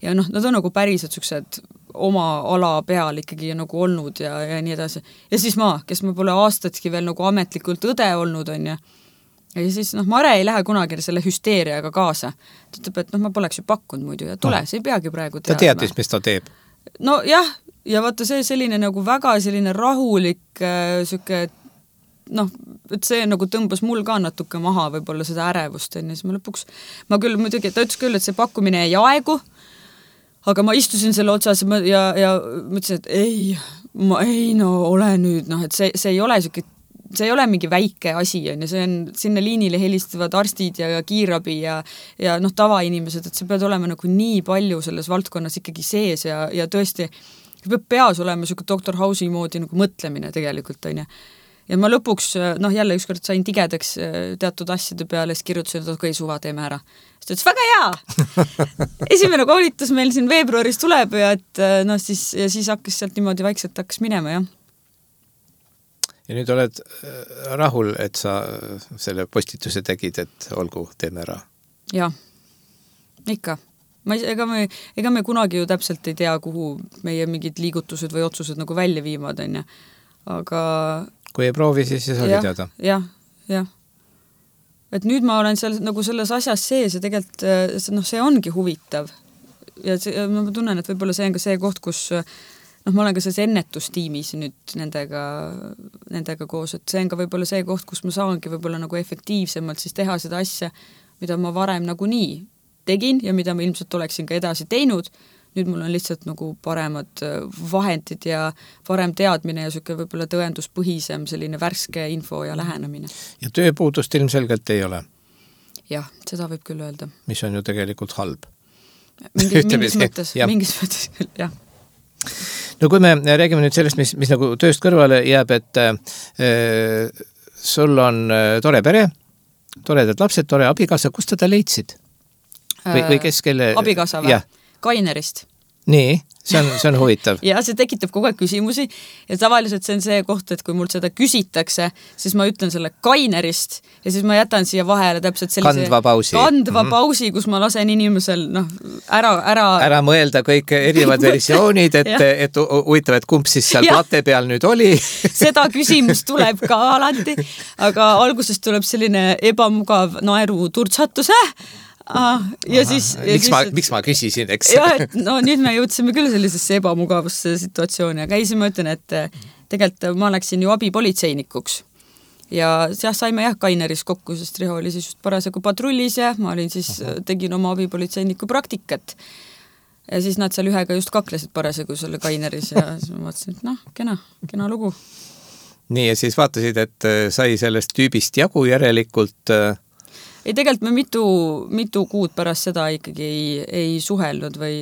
ja noh, nad on nagu päriselt sellised oma ala peal ikkagi nagu olnud ja, ja nii edasi. Ja siis ma, kes ma pole aastatki veel nagu ametlikult õde olnud on ja ja siis noh, Mare ei lähe kunagi selle hüsteeriaga kaasa. Ta ütleb, et noh, ma poleks ju pakkunud muidu ja tule, see ei peagi praegu teadma. Ta teadis, mis ta teeb. No jah, ja vaata see selline nagu väga selline rahulik äh, süke, noh, et see nagu tõmbas mul ka natuke maha võib-olla seda ärevust on ja siis ma lõpuks, ma küll muidugi, ta ütles küll, et see pakkumine ei aegu, aga ma istusin selle otsas ja, ja mõtlesin, et ei, ma ei no ole nüüd, noh, et see, see ei ole selline, see ei ole mingi väike asi on ja see on, sinna liinile helistavad arstid ja kiirabi ja, ja noh, tavainimesed, et see pead olema nagu nii palju selles valdkonnas ikkagi sees ja, ja tõesti peab peas olema selline doktor House'i moodi nagu mõtlemine tegelikult on ja. Ja ma lõpuks, noh jälle ükskord sain tigedaks teatud asjade peale, siis kirjutasin, et okei, suva, teeme ära. Siis ta ütles, väga hea! Esimene koolitus meil siin veebruaris tuleb ja, et, noh, siis, ja siis hakkas sealt niimoodi vaikselt hakkas minema, jah. Ja nüüd oled rahul, et sa selle postituse tegid, et olgu, teeme ära? Jah, ikka. Ma, ega, me, ega me kunagi ju täpselt ei tea, kuhu meie mingid liigutused või otsused nagu välja viimad, on ja. Aga kui ei proovi, siis see oli teada. Jah, jah. Et nüüd ma olen seal, nagu selles asjas sees ja tegelikult no, see ongi huvitav. Ja, see, ja ma tunnen, et võib-olla see on ka see koht, kus noh, ma olen ka selles ennetustiimis nüüd nendega, nendega koos, et see on ka võib-olla see koht, kus ma saangi võib-olla nagu efektiivsemalt siis teha seda asja, mida ma varem nagu nii tegin ja mida ma ilmselt oleksin ka edasi teinud. Nüüd mul on lihtsalt nagu paremad vahendid ja parem teadmine ja selline võib-olla tõenduspõhisem selline värske info ja lähenemine. Ja tööpuudust ilmselgelt ei ole? Jah, seda võib küll öelda. Mis on ju tegelikult halb. Mingis, mingis mõttes, mingis mõttes küll, jah. No kui me räägime nüüd sellest, mis, mis nagu tööst kõrvale jääb, et äh, sul on tore pere, toredad lapsed, tore abikaasa, kust teda leidsid? Või, või kes kelle... Abikaasa või? Kainerist. Nii, see on, see on huvitav. ja see tekitab kogu aeg küsimusi ja tavaliselt see on see koht, et kui mul seda küsitakse, siis ma ütlen selle Kainerist ja siis ma jätan siia vahele täpselt sellise kandva pausi, kandva mm-hmm. pausi, kus ma lasen inimesel noh, ära, ära... ära mõelda kõik erinevad versioonid, et, et huvitav, et kumb siis seal ja. Plate peal nüüd oli. Seda küsimus tuleb ka alati, aga algusest tuleb selline ebamugav naeru turtsatus, äh? Ah, ja Aha, siis, ja miks, siis ma, miks ma küsisin, eks? Ja, et no nüüd me jõudsime küll sellisesse ebamugavusse situatsiooni, aga ei, siis ma ütlen, et tegelikult ma läksin ju abipolitseinikuks ja jah, saime jah Kaineris kokku, sest Riho oli siis just parasjagu patrullis ja ma olin siis, tegin oma abipolitseiniku praktikat ja siis nad seal ühega just kaklesid parasjagu selle Kaineris ja siis ma vaatasin, et noh, kena, kena lugu. Nii, ja siis vaatasid, et sai sellest tüübist jagu järelikult ei, tegelikult me mitu, mitu kuud pärast seda ikkagi ei, ei suhelnud või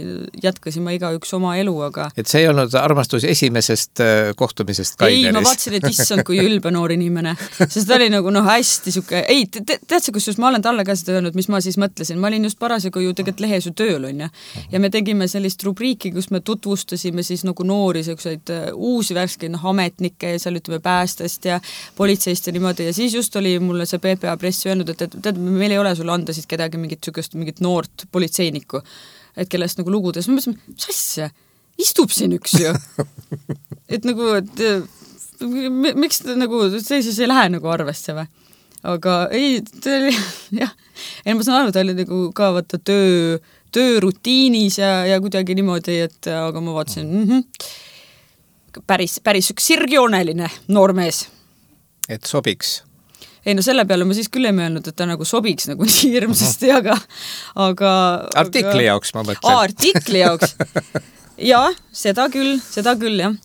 jätkasime igaüks oma elu, aga... Et see ei olnud armastus esimesest kohtumisest Kaineris? Ei, ma vaatasin, et issand, kui ülbe noor inimene. Sest ta oli nagu noh, hästi siuke... Ei, te, te, tead see, kus just ma olen talle ka seda öelnud, mis ma siis mõtlesin. Ma olin just parasjagu ju tegelikult lehes ju tööl, on ja. ja me tegime sellist rubriiki, kus me tutvustasime siis nagu noori selliseid uusi värskeid noh, ametnikke ja seal ütleme päästest ja politseist ja niimoodi. Ja siis just oli mulle see P P A press öelnud, et, et, et meil ei ole sul anda siis kedagi mingit sükest, mingit noort politseinikku, et kellest nagu lugudes. Ma mõtlesin, mis asja? Istub siin üks ju. Et nagu, et miks nagu, see siis ei lähe nagu arvesse või? Aga ei, ta oli, jah, ei ma saan aru, ta oli nagu ka vaata töö, töörutiinis ja, ja kuidagi niimoodi, et aga ma vaatasin, mm-hmm, päris, päris üks sirgjooneline noormees. Et sobiks? Ei, no selle peale ma siis küll ei mõelnud, et ta nagu sobiks nagu nii hirmsasti, aga... aga artikli jaoks, ma mõtlen. Aa, artikli jaoks. Ja, seda küll, seda küll, jah.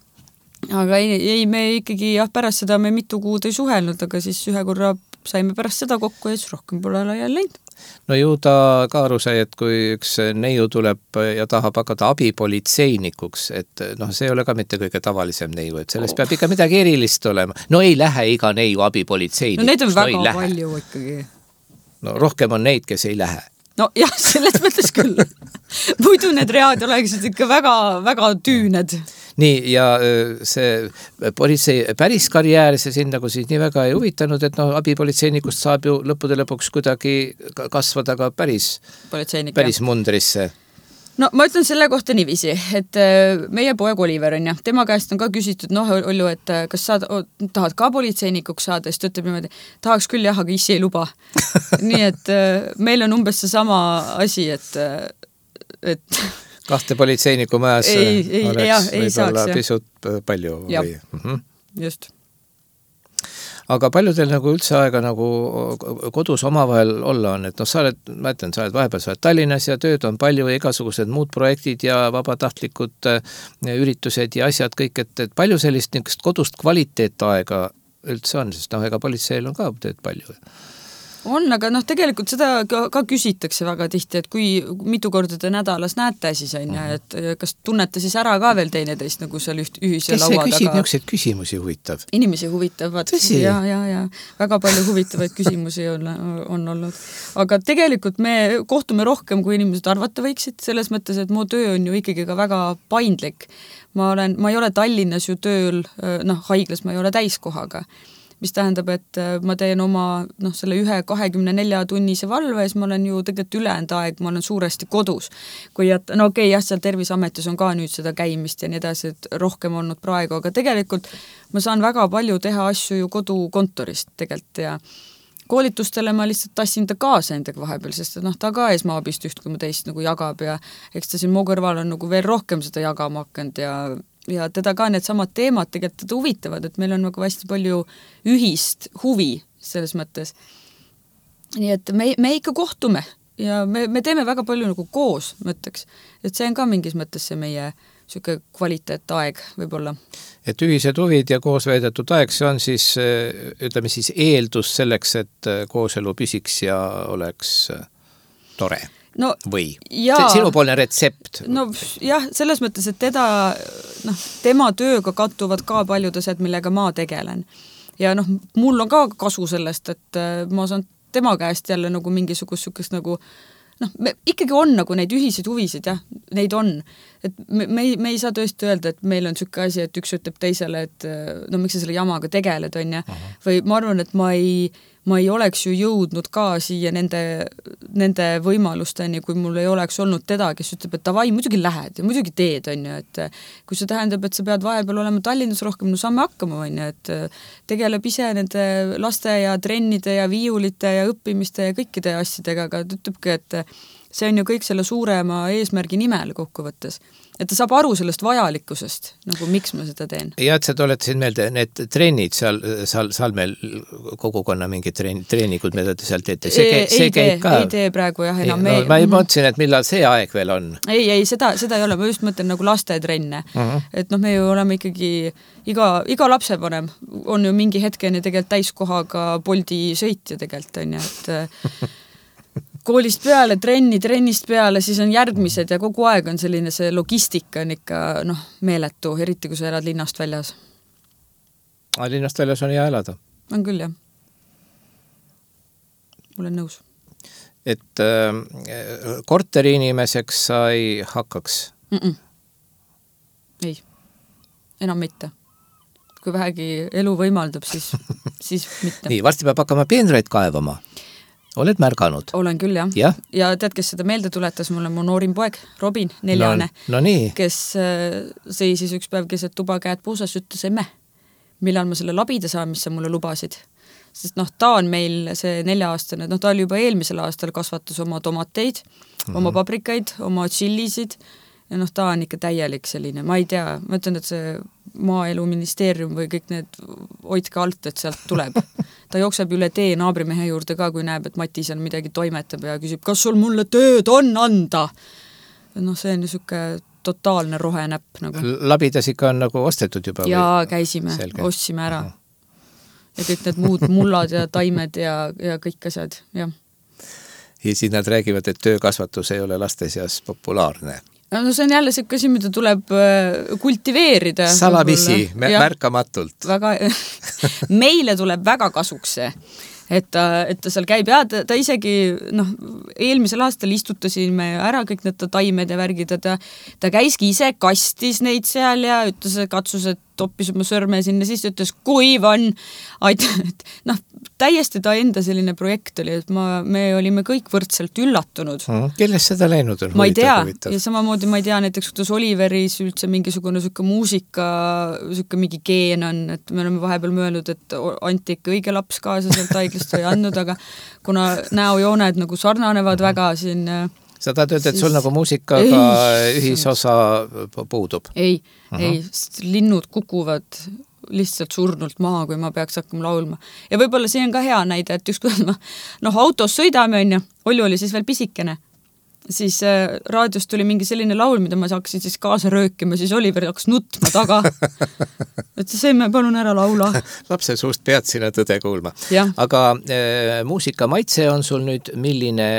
Aga ei, ei, me ikkagi, jah, pärast seda me mitu kuud ei suhelnud, aga siis ühe korra saime pärast seda kokku ja siis rohkem pole jälle läinud. No ju ta ka aru sai, et kui üks neiu tuleb ja tahab hakata abipolitseinikuks, et noh, see ei ole ka mitte kõige tavalisem neiu, et sellest oh. peab ikka midagi erilist olema. No ei lähe iga neiu abipolitseinikuks. No neid on väga no, palju ikkagi. No rohkem on neid, kes ei lähe. No jah, selles mõttes küll. Muidu need read oleksid ikka väga, väga tüüned. Nii, ja see politsei päris karjäär, see siin nagu siis nii väga ei huvitanud, et noh, abipolitseinikust saab ju lõppude lõpuks kuidagi kasvada ka päris, päris mundrisse. No ma ütlen selle kohta niiviisi, et meie poeg Oliver on ja tema käest on ka küsitud, noh, Olju, et kas sa tahad ka politseinikuks saada, siis ta ütleb niimoodi, tahaks küll jah, aga issi ei luba. Nii et meil on umbes see sama asi, et, et kahte politseiniku majas ei, ei, oleks jah, ei võib-olla saaks, pisut palju. Ja, või? Mm-hmm. Just. Aga palju teil nagu üldse aega nagu kodus omavahel olla on, et noh, sa oled, ma ütlen, sa oled vahepeal, sa oled Tallinnas ja tööd on palju ja igasugused muud projektid ja vabatahtlikud üritused ja asjad kõik, et, et palju sellist niisugust kodust kvaliteetaega üldse on, sest noh, ega politseil on ka tööd palju. On, aga noh, tegelikult seda ka, ka küsitakse väga tihti, et kui mitu korda te nädalas näete siis on ja, et kas tunnete siis ära ka veel teineteist nagu seal üht ühise kes laua taga. Kes see küsib niisuguseid küsimusi huvitav? Inimesi huvitavad. Ja, ja, ja. Väga palju huvitavaid küsimusi on, on olnud. Aga tegelikult me kohtume rohkem, kui inimesed arvata võiksid, selles mõttes, et mu töö on ju ikkagi ka väga paindlik. Ma, olen, ma ei ole Tallinnas ju tööl, noh, haiglas ma ei ole täiskohaga. Mis tähendab, et ma teen oma noh, selle ühe kahekümne nelja tunnise valve ja siis ma olen ju tegelikult ülejäänud aeg, ma olen suuresti kodus. Kui et, no okei, jah, seal Terviseametis on ka nüüd seda käimist ja nii edasi, et rohkem olnud praegu, aga tegelikult ma saan väga palju teha asju ju kodukontorist tegelikult ja koolitustele ma lihtsalt tassin ta kaasa endaga vahepeal, sest noh, ta ka esmaabist üht, kui ma teist nagu jagab ja eks ta siin mu kõrval on nagu veel rohkem seda jagama hakanud ja ja teda ka need samad teemad tegelikult teda huvitavad, et meil on nagu hästi palju ühist huvi selles mõttes. Nii et me, me ikka kohtume ja me, me teeme väga palju nagu koos, mõtteks. Et see on ka mingis mõttes see meie siuke kvaliteetaeg võib-olla. Et ühised huvid ja koos veedetud aeg, see on siis, ütleme siis eeldus selleks, et kooselu püsiks ja oleks tore no, või jaa, sinupoolne retsept? No jah, selles mõttes, et teda, noh, tema tööga kattuvad ka paljud asjad, millega ma tegelen. Ja noh, mul on ka kasu sellest, et ma saan tema käest jälle nagu mingisugust sukest nagu noh, me, ikkagi on nagu neid ühiseid huvisid, jah, neid on. Et me, me, ei, me ei saa tõesti öelda, et meil on sükke asi, et üks ütleb teisele, et no miks sa selle jamaga tegeled, on ja? Või ma arvan, et ma ei, ma ei oleks ju jõudnud ka siia nende, nende võimalusteni, kui mul ei oleks olnud teda, kes ütleb, et davai, muidugi lähed ja muidugi teed, on ju, et kui see tähendab, et sa pead vahepeal olema Tallinnas rohkem, no saame hakkama, on ju, et tegeleb ise nende laste ja trennide ja viiulite ja õppimiste ja kõikide asjadega, aga ta ütlebki, et see on ju kõik selle suurema eesmärgi nimel kokkuvõttes. Et ta saab aru sellest vajalikkusest, nagu miks ma seda teen. Ja, et sa tuletasid meelde, need trennid seal, seal, seal meil kogukonna mingid treen, treenikud, mida te seal teete, see, ei, see ei käib tee, ka. Ei tee praegu jah enam. Ei, no, ma ei mõtlesin, et millal see aeg veel on. Ei, ei, seda, seda ei ole, ma just mõtlen nagu lastetrenne. Uh-huh. Et noh, me ju oleme ikkagi, iga, iga lapsevanem on ju mingi hetkeni tegelikult täiskohaga Boldi sõitja tegelikult, on ju, et koolist peale, trenni, trennist peale, siis on järgmised ja kogu aeg on selline see logistika on ikka noh, meeletu, eriti kui sa elad linnast väljas. A, linnast väljas on hea elada? On küll, jah. Ma olen nõus. Et äh, korteri inimeseks sa ei hakkaks? Mm-mm. Ei, enam mitte. Kui vähegi elu võimaldab, siis, siis mitte. Nii, varsti peab hakkama peenraid kaevama. Oled märganud? Olen küll, jah. Ja? Ja tead, kes seda meelde tuletas, mul on mu noorim poeg, Robin, neljane, no, no nii. Kes seisis üks päev keset tuba käed puusas, ütles emme, millal ma selle labida saan, mis sa mulle lubasid. Sest noh, ta on meil see nelja-aastane, noh, ta oli juba eelmisel aastal kasvatas oma tomateid, mm-hmm. oma paprikaid, oma chillisid ja noh, ta on ikka täielik selline, ma ei tea, ma ütlen, et see maaeluministeerium või kõik need hoidke alt, et sealt tuleb. Ta jookseb üle tee naabrimehe juurde ka, kui näeb, et Mati seal midagi toimetab ja küsib, kas sul mulle tööd on anda? Noh, see on niisugune totaalne rohenäpp. Nagu. Labidas ikka on nagu ostetud juba? Jaa, käisime, Selge. Ostsime ära. Aha. Ja kõik need muud mullad ja taimed ja, ja kõik asjad, jah. Ja siis nad räägivad, et töökasvatus ei ole laste seas populaarne. No see on jälle see asi, mida tuleb kultiveerida. Salamisi, märkamatult. Väga, meile tuleb väga kasuks see, et ta, et ta seal käib ja ta, ta isegi, noh, eelmisel aastal istutasime ära kõik need taimed ja värgid, ta, ta käiski ise kastis neid seal ja ütles, katsus, et toppis oma sõrme sinna, siis ütles, kuiv on, et noh, täiesti ta enda selline projekt oli, et ma, me olime kõik võrdselt üllatunud. Mm, kellest seda läinud on? Ma ei tea, huvitav. Ja samamoodi ma ei tea näiteks, kuidas Oliveris üldse mingisugune sükke muusika, sükke mingi geen on, et me oleme vahepeal mõelnud, et anti ikka õige laps kaasa sealt haiglast või andnud, aga kuna näojooned nagu sarnanevad väga siin sa tahad öelda, et sul nagu muusikaga ei, ühisosa puudub? Ei, uh-huh. ei, linnud kukuvad lihtsalt surnult maha, kui ma peaks hakkama laulma. Ja võib-olla see on ka hea näide, et ükskord ma noh, autos sõidame, on ju, Olju oli siis veel pisikene, siis äh, raadiost tuli mingi selline laul, mida ma saaksin siis kaasa röökima, siis Oliver hakkas nutma taga. Et see me palun ära laula. Lapse suust pead sina tõde kuulma. Ja. Aga äh, muusika maitse on sul nüüd milline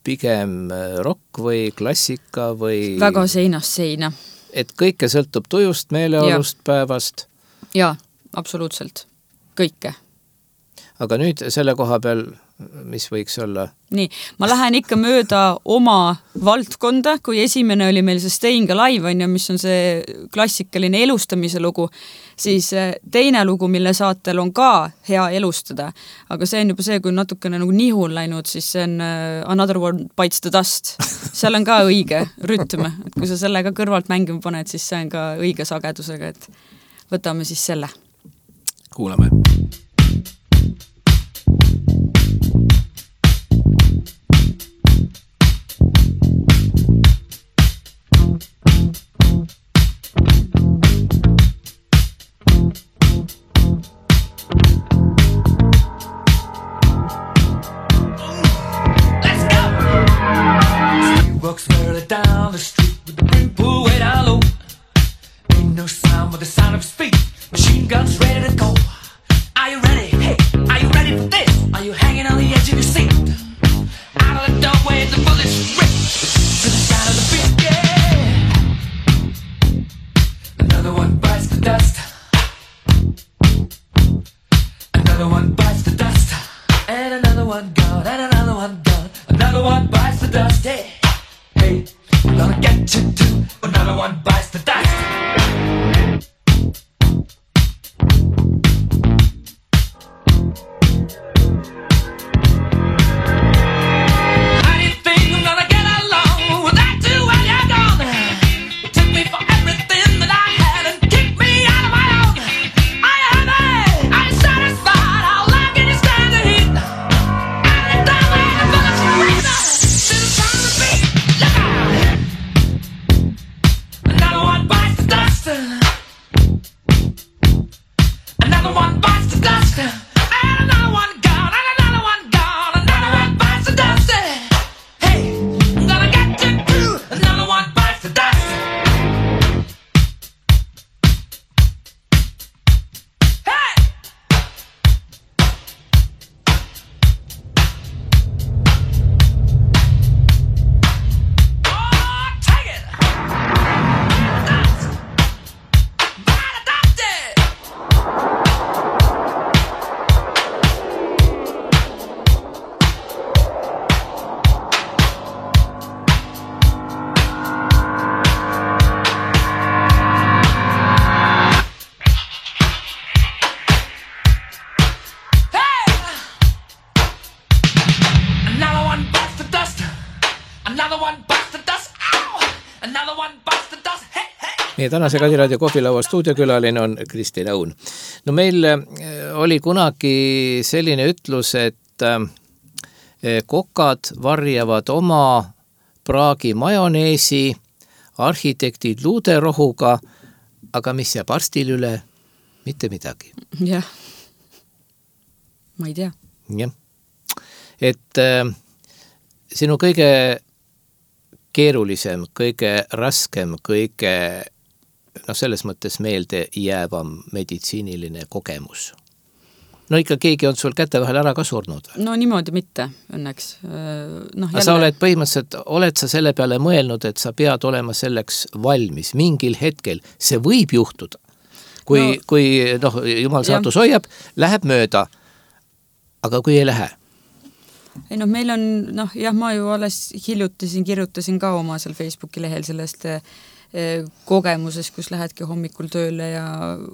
pigem rock või klassika või... Väga seinast seina. Et kõike sõltub tujust, meeleolust, ja. Päevast? Jaa, absoluutselt. Kõike. Aga nüüd selle koha peal, mis võiks olla? Nii, ma lähen ikka mööda oma valdkonda, kui esimene oli meil see Staying Alive, on ju, mis on see klassikaline elustamise lugu, siis teine lugu, mille saatel on ka hea elustada, aga see on juba see, kui natukene nagu nihu on läinud, siis see on Another One Bites the Dust. Seal on ka õige rütm, et kui sa selle ka kõrvalt mängima paned, siis see on ka õige sagedusega, et võtame siis selle. Kuulame. Walks further down the street with the brim pulled way down low. Ain't no sound but the sound of his feet. Machine guns ready to go. Are you ready? Hey, are you ready for this? Are you hanging on the edge of your seat? Out of the doorway, the bullet. Another one bites the dust. Hey, hey. Meie tänase Kadiraadio kohvilaua stuudiokülaline on Kristi Laun. No meil oli kunagi selline ütlus, et kokad varjavad oma praagi majoneesi, arhitektid luuderohuga, aga mis jääb arstil üle? Mitte midagi. Jah. Ma ei tea. Jah. Et äh, sinu kõige keerulisem, kõige raskem, kõige no selles mõttes meelde jäävam meditsiiniline kogemus. No ikka keegi on sul käte vahel ära ka surnud. No niimoodi mitte, õnneks. No, jälle... Sa oled põhimõtteliselt, oled sa selle peale mõelnud, et sa pead olema selleks valmis mingil hetkel. See võib juhtuda. Kui, no, kui noh, jumal saatus hoiab, läheb mööda. Aga kui ei lähe? Ei noh, meil on, noh, jah, ma ju alles hiljutasin, kirjutasin ka oma seal Facebooki lehel sellest kogemuses, kus lähedki hommikul tööle ja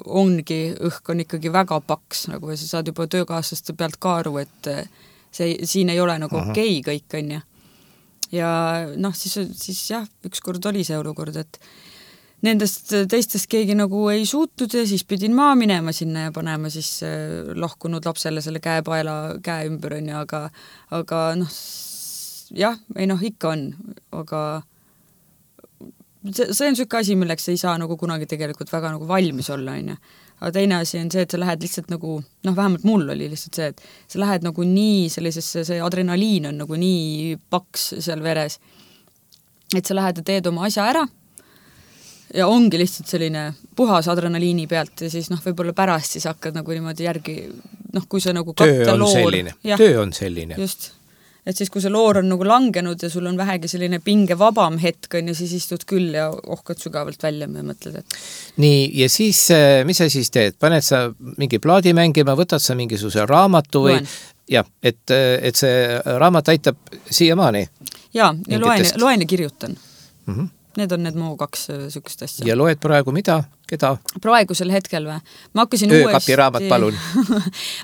ongi, õhk on ikkagi väga paks, nagu sa saad juba töökaaslaste pealt ka aru, et see, siin ei ole nagu okei okay, kõik on ja. Ja noh, siis, siis jah, ükskord oli see olukord, et nendest teistest keegi nagu ei suutnud ja siis pidin maa minema sinna ja panema siis lahkunud lapsele selle käepaela käe ümber on ja, aga, aga noh, jah, ei noh, ikka on, aga see, see on sükke asi, milleks ei saa nagu kunagi tegelikult väga nagu valmis olla, on ja. Aga teine asi on see, et sa lähed lihtsalt nagu, noh, vähemalt mul oli lihtsalt see, et sa lähed nagu nii sellisesse, see adrenaliin on nagu nii paks seal veres, et sa lähed ja teed oma asja ära ja ongi lihtsalt selline puhas adrenaliini pealt ja siis noh, võib-olla pärast siis hakkad nagu niimoodi järgi, noh, kui sa nagu katta töö on loor. Selline. Töö on selline. Just. Et siis kui see loor on nagu langenud ja sul on vähegi selline pinge vabam hetk on ja siis istud küll ja ohkad sügavalt välja ja mõtled, et... Nii, ja siis, mis sa siis teed? Paned sa mingi plaadi mängima, võtad sa mingisuguse raamatu või... Loen. Ja, et, et see raamat aitab siiamaani? Jaa, ja loen, loen ja kirjutan. Mhm. Need on need mu kaks sükust asja. Ja loed praegu mida? Keda? Praegusel hetkel või? Ma hakkasin Öökapi uuesti... raamat, palun.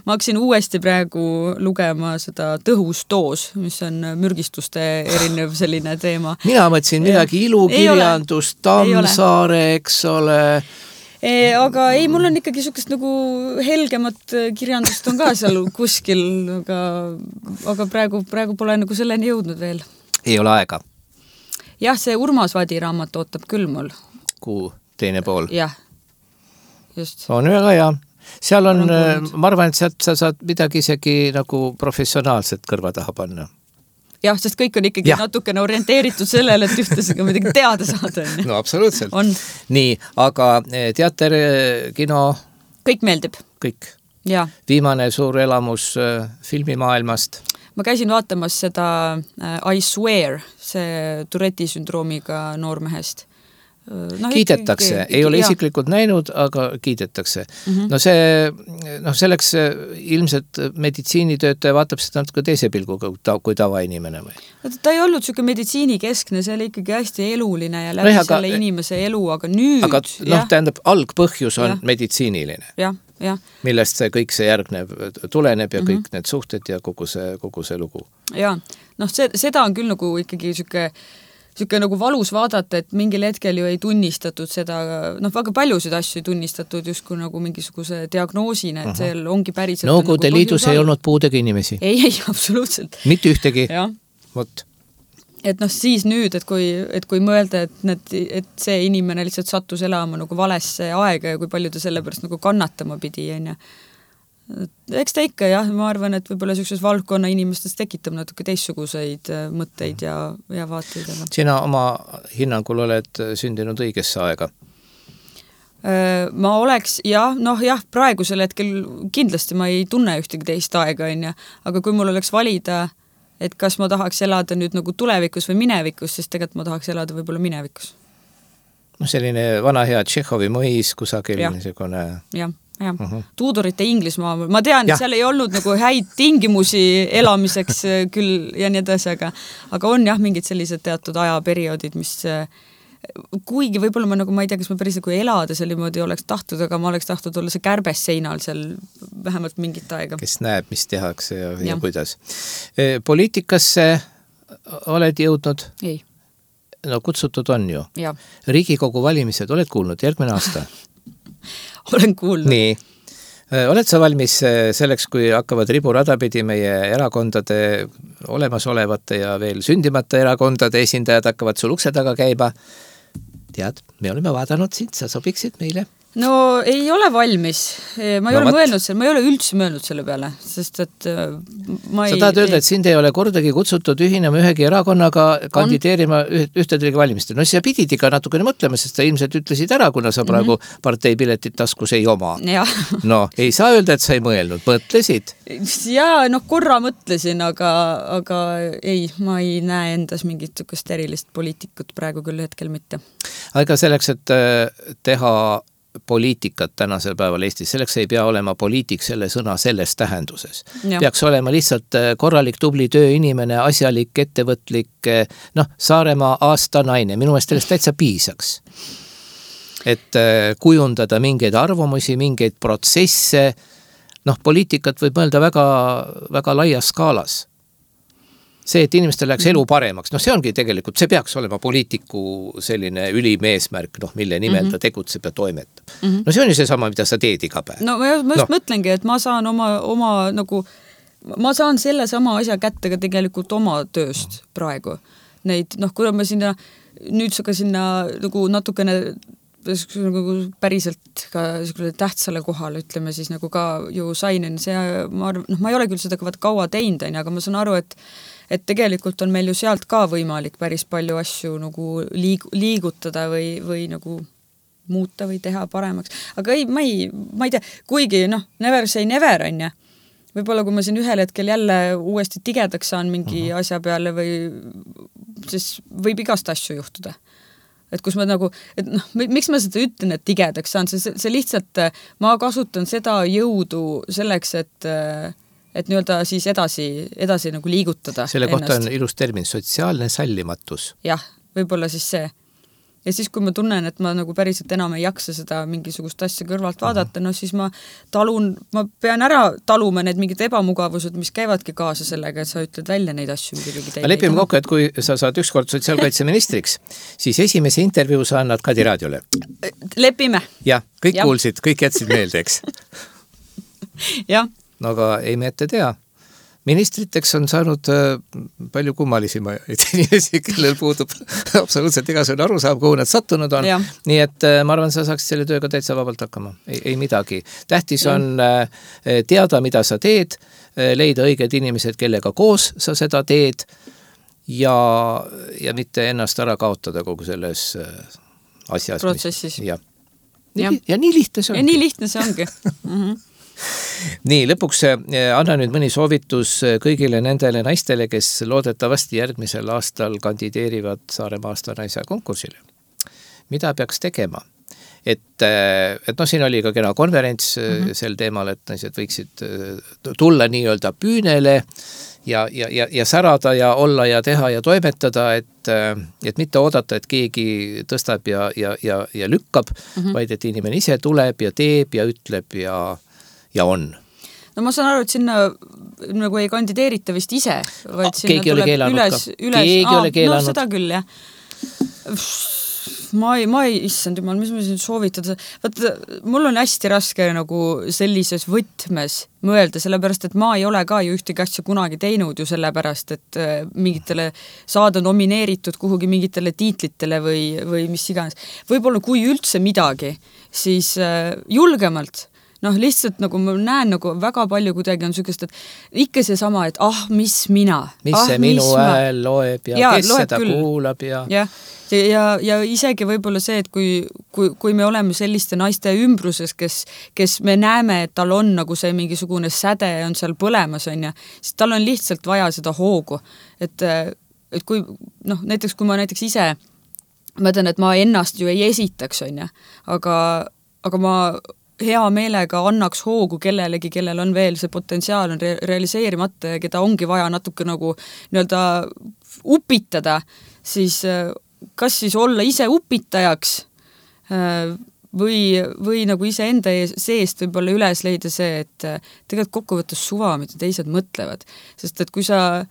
ma hakkasin uuesti praegu lugema seda Tõhus doos, mis on mürgistuste erinev selline teema. Mina mõtlesin midagi ilukirjandust, Tammsaare, eks ole... E, aga ei, mul on ikkagi sukest nagu helgemat kirjandust on ka seal kuskil, aga, aga praegu, praegu pole nagu selleni jõudnud veel. Ei ole aega. Jah, see Urmas Vadi raamat ootab küll mul. Kuu teine pool. Jah, just. On väga hea. Seal on, ma arvan, et sealt sa saad midagi isegi nagu professionaalset kõrva taha panna. Jah, sest kõik on ikkagi ja. Natukene orienteeritud sellele, et ühtesega midagi teada saada. No absoluutselt. On. Nii, aga teater, kino... Kõik meeldib. Kõik. Ja. Viimane suur elamus filmimaailmast. Ma käisin vaatamas seda I Swear, see Touretti sündroomiga noormehest. No, kiidetakse, ikka, ikka, ei ole jah. Isiklikult näinud, aga kiidetakse. Mm-hmm. No see, noh selleks ilmselt meditsiinitöötaja vaatab seda natuke teise pilguga kui tavainimene või? Ta ei olnud süke meditsiinikeskne, see oli ikkagi hästi eluline ja läbi no, selle aga, inimese elu, aga nüüd... Aga noh, tähendab, algpõhjus on ja. Meditsiiniline. Jah, jah. Millest see kõik see järgnev tuleneb ja mm-hmm. kõik need suhted ja kogu see, kogu see lugu. Jaa, noh see, seda on küll nagu ikkagi süke Süke nagu valus vaadata, et mingil hetkel ju ei tunnistatud seda, noh väga paljusid asju ei tunnistatud justkui nagu mingisuguse diagnoosina, et see ongi päriselt... Nõukogude nagu liidus ei olnud puudega inimesi? Ei, ei, absoluutselt. Mitte ühtegi? Ja. Vot. Et noh, siis nüüd, et kui, et kui mõelda, et, need, et see inimene lihtsalt sattus elama nagu valesse aega ja kui palju ta selle pärast nagu kannatama pidi, on ja eks ta ikka jah, ma arvan, et võib-olla sellises valdkonna inimestes tekitab natuke teistsuguseid mõtteid ja, ja vaateid. Sina oma hinnangul oled sündinud õigesse aega? Ma oleks, jah, noh jah, praegusel hetkel kindlasti ma ei tunne ühtegi teist aega, on ja, aga kui mul oleks valida, et kas ma tahaks elada nüüd nagu tulevikus või minevikus, siis tegelikult ma tahaks elada võib-olla minevikus. No selline vana hea Tšehhovi mõis kusagil niisugune... Jah. Jah, uh-huh. Tuudorite Inglismaa, ma tean, et seal ei olnud nagu häid tingimusi elamiseks küll ja nii edasi, aga, aga on jah mingid sellised teatud ajaperioodid, mis kuigi võib-olla ma nagu, ma ei tea, kas ma päris nagu elada seal niimoodi oleks tahtnud, aga ma oleks tahtnud olla see kärbes seinal seal vähemalt mingit aega. Kes näeb, mis tehakse ja, ja. ja kuidas. Poliitikasse oled jõudnud? Ei. no kutsutud on ju. Ja. Riigikogu valimised, oled kuulnud, järgmine aasta? Olen kuulnud. Nii. Oled sa valmis selleks, kui hakkavad riburada pidi meie erakondade olemasolevate ja veel sündimata erakondade esindajad hakkavad sul ukse taga käima? Tead, me oleme vaadanud sind, sa sobiksid meile? No ei ole valmis. Ma ei no, ole mõelnud selle, ma ei ole üldse mõelnud selle peale, sest et ma ei... Sa tahad öelda, et sind ei ole kordagi kutsutud ühinema ühegi erakonnaga kandideerima ühtedegi valimistel. No siis sa pidid ikka natukene mõtlema, sest sa ilmselt ütlesid ära, kuna sa praegu mm-hmm. parteipiletit taskus ei oma. Ja. No, ei saa öelda, et sa ei mõelnud. Mõtlesid? Jaa, noh korra mõtlesin, aga, aga ei, ma ei näe endas mingit sukest erilist poliitikut praegu küll hetkel mitte. Aga selleks, et teha poliitikat tänasel päeval Eestis, selleks ei pea olema poliitik selle sõna selles tähenduses. Ja. Peaks olema lihtsalt korralik tubli tööinimene, asjalik, ettevõtlik, noh, Saaremaa aasta naine. Minu meelest sellest täitsa piisaks. Et kujundada mingeid arvamusi, mingeid protsesse, noh, poliitikat võib mõelda väga, väga laias skaalas. See, et inimestel läheks elu paremaks, noh see ongi tegelikult, see peaks olema poliitiku selline ülim eesmärk, noh mille nimel mm-hmm. ta tegutseb ja toimetab. Mm-hmm. No see on ju see sama, mida sa teed iga päev. No ma just no. mõtlengi, et ma saan oma, oma nagu, ma saan selle sama asja kätte ka tegelikult oma tööst praegu. Neid, noh kuna ma sinna, nüüd ka sinna nagu natukene nagu päriselt ka tähtsale kohale, ütleme siis nagu ka ju sain, see, ma, noh, ma ei ole küll seda kaua teinud, aga ma saan aru, et et tegelikult on meil ju sealt ka võimalik päris palju asju nagu liig- liigutada või, või nagu muuta või teha paremaks. Aga ei, ma ei, ma ei tea, kuigi noh, never say never on ja. Võib-olla kui ma siin ühel hetkel jälle uuesti tigedaks saan mingi uh-huh. asja peale või siis võib igast asju juhtuda. Et kus ma nagu, et noh, miks ma seda ütlen, et tigedaks saan, see, see lihtsalt, ma kasutan seda jõudu selleks, et et nii-öelda siis edasi, edasi nagu liigutada. Selle kohta ennast. On ilus termin, sotsiaalne sallimatus. Jah, võib-olla siis see. Ja siis, kui ma tunnen, et ma nagu päriselt enam ei jaksa seda mingisugust asja kõrvalt vaadata, uh-huh. no siis ma talun, ma pean ära taluma need mingid ebamugavused, mis käivadki kaasa sellega, et sa ütled välja neid asju. Lepime kokku, et kui sa saad ükskord sotsiaalkaitseministriks, siis esimese intervjuu sa annad Kadi raadiole. Lepime. Jah, kõik ja. Kuulsid, kõik jätsid meelde, eks? Jah. No aga ei me ette tea. Ministriteks on saanud äh, palju kummalisima inimesi, kellel puudub absoluutselt igasugune arusaam, kuhu nad sattunud on. Ja. Nii et äh, ma arvan, sa saaksid selle tööga täitsa vabalt hakkama. Ei, ei midagi. Tähtis ja. On äh, teada, mida sa teed, äh, leida õiged inimesed, kellega koos sa seda teed ja, ja mitte ennast ära kaotada kogu selles äh, asjas. Protsessis. Mis, ja. Nii, ja. ja nii lihtne see ongi. Ja nii lihtne see ongi. Mhm. Nii, lõpuks anna nüüd mõni soovitus kõigile nendele naistele, kes loodetavasti järgmisel aastal kandideerivad Saaremaa aasta naise konkursile. Mida peaks tegema? Et, et no siin oli ka kena konverents mm-hmm. sel teemal, et naised võiksid tulla nii-öelda püünele ja, ja, ja, ja särada ja olla ja teha ja toimetada, et, et mitte oodata, et keegi tõstab ja, ja, ja, ja lükkab, mm-hmm. vaid et inimene ise tuleb ja teeb ja ütleb ja ja on. No ma saan aru, et sinna nagu ei kandideerita vist ise, vaid sinna keegi tuleb üles, üles. Keegi Aa, ole keelanud. No seda küll, jah. Ma ei, ma ei, issand jumal, mis ma siin soovitada. Vaat, mul on hästi raske nagu sellises võtmes mõelda, sellepärast, et ma ei ole ka ju ühtegi asja kunagi teinud ju sellepärast, et mingitele saada nomineeritud kuhugi mingitele tiitlitele või, või mis iganes. Võib-olla kui üldse midagi, siis julgemalt noh, lihtsalt nagu ma näen nagu väga palju kuidagi on sükest, et ikka see sama, et ah, mis mina. Mis ah, see minu hääl loeb ja, ja kes seda küll. Kuulab ja... Ja, ja, ja isegi võib-olla see, et kui, kui, kui me oleme selliste naiste ümbruses, kes, kes me näeme, et tal on nagu see mingisugune säde on seal põlemas, on ja, siis tal on lihtsalt vaja seda hoogu. Et, et kui, noh, näiteks kui ma näiteks ise mõtlen, et ma ennast ju ei esitaks, on ja, aga, aga ma hea meelega annaks hoogu kellelegi, kellel on veel see potentsiaal on re- realiseerimata ja keda ongi vaja natuke nagu nii-öelda upitada, siis kas siis olla ise upitajaks või, või nagu ise enda seest võib-olla üles leida see, et tegelikult kokkuvõttes suva, mida teised mõtlevad. Sest et kui sa,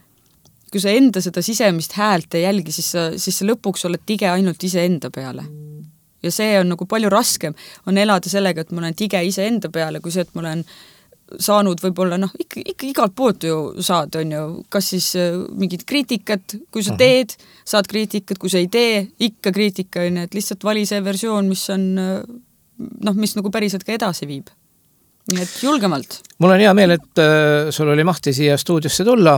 kui sa enda seda sisemist häält ei jälgi, siis sa, siis sa lõpuks oled tige ainult ise enda peale. Ja see on nagu palju raskem, on elada sellega, et ma olen tige ise enda peale, kui see, et ma olen saanud võib-olla, noh, ikka, ikka igalt poolt ju saad, on ju, kas siis mingid kriitikat, kui sa teed, saad kriitikat, kui sa ei tee, ikka kriitika, on ju, et lihtsalt vali see versioon, mis on, noh, mis nagu päriselt ka edasi viib. Nii et julgemalt. Mul on hea meel, et äh, sul oli mahti siia stuudiosse tulla.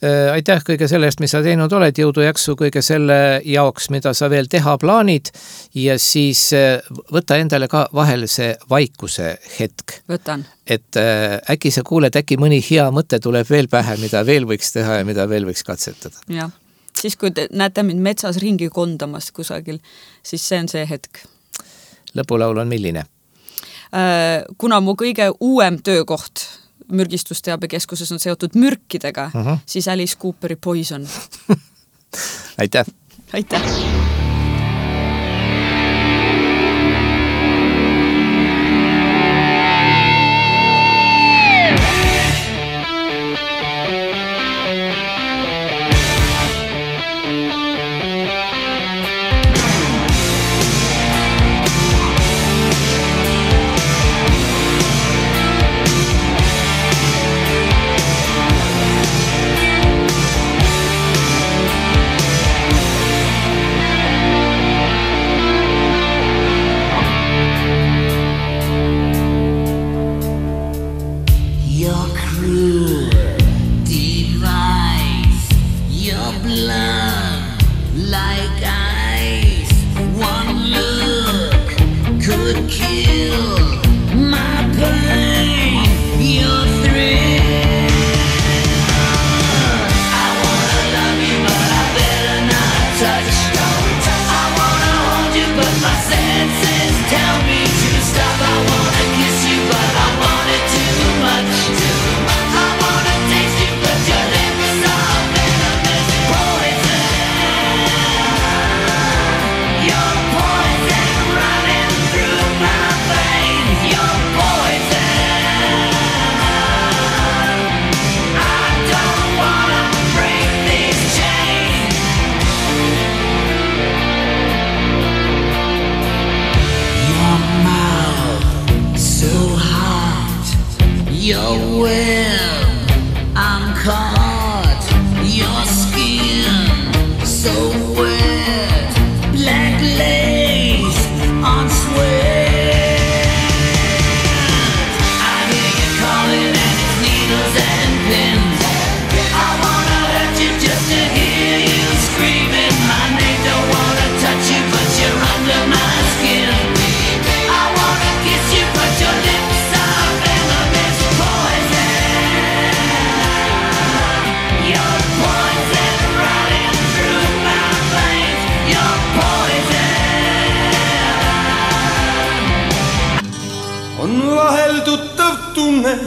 Äh, aitäh kõige selle eest, mis sa teinud oled, jõudu jaksu kõige selle jaoks, mida sa veel teha plaanid ja siis äh, võta endale ka vahel see vaikuse hetk. Võtan. Et äh, äkki sa kuuled, äkki mõni hea mõte tuleb veel pähe, mida veel võiks teha ja mida veel võiks katsetada. Jah, siis kui te näete mind metsas ringi kondamas kusagil, siis see on see hetk. Lõpulaul on milline? Kuna mu kõige uuem töökoht mürgistusteabekeskuses on seotud mürkidega, uh-huh. siis Alice Cooperi Poison. Aitäh! Aitäh!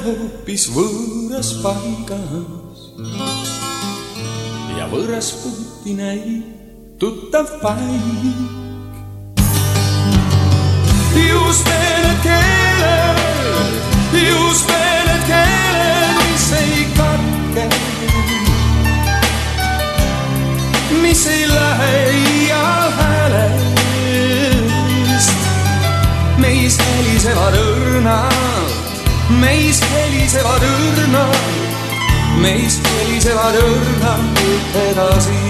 hoopis võõras paigas ja võõras puuti näib tuttav paik. Just need keeled, just need keeled, mis ei katke, mis ei lähe iial häälest. Meis helisevad õrnad, meis helisevad õrnad, meis helisevad õrnad edasi.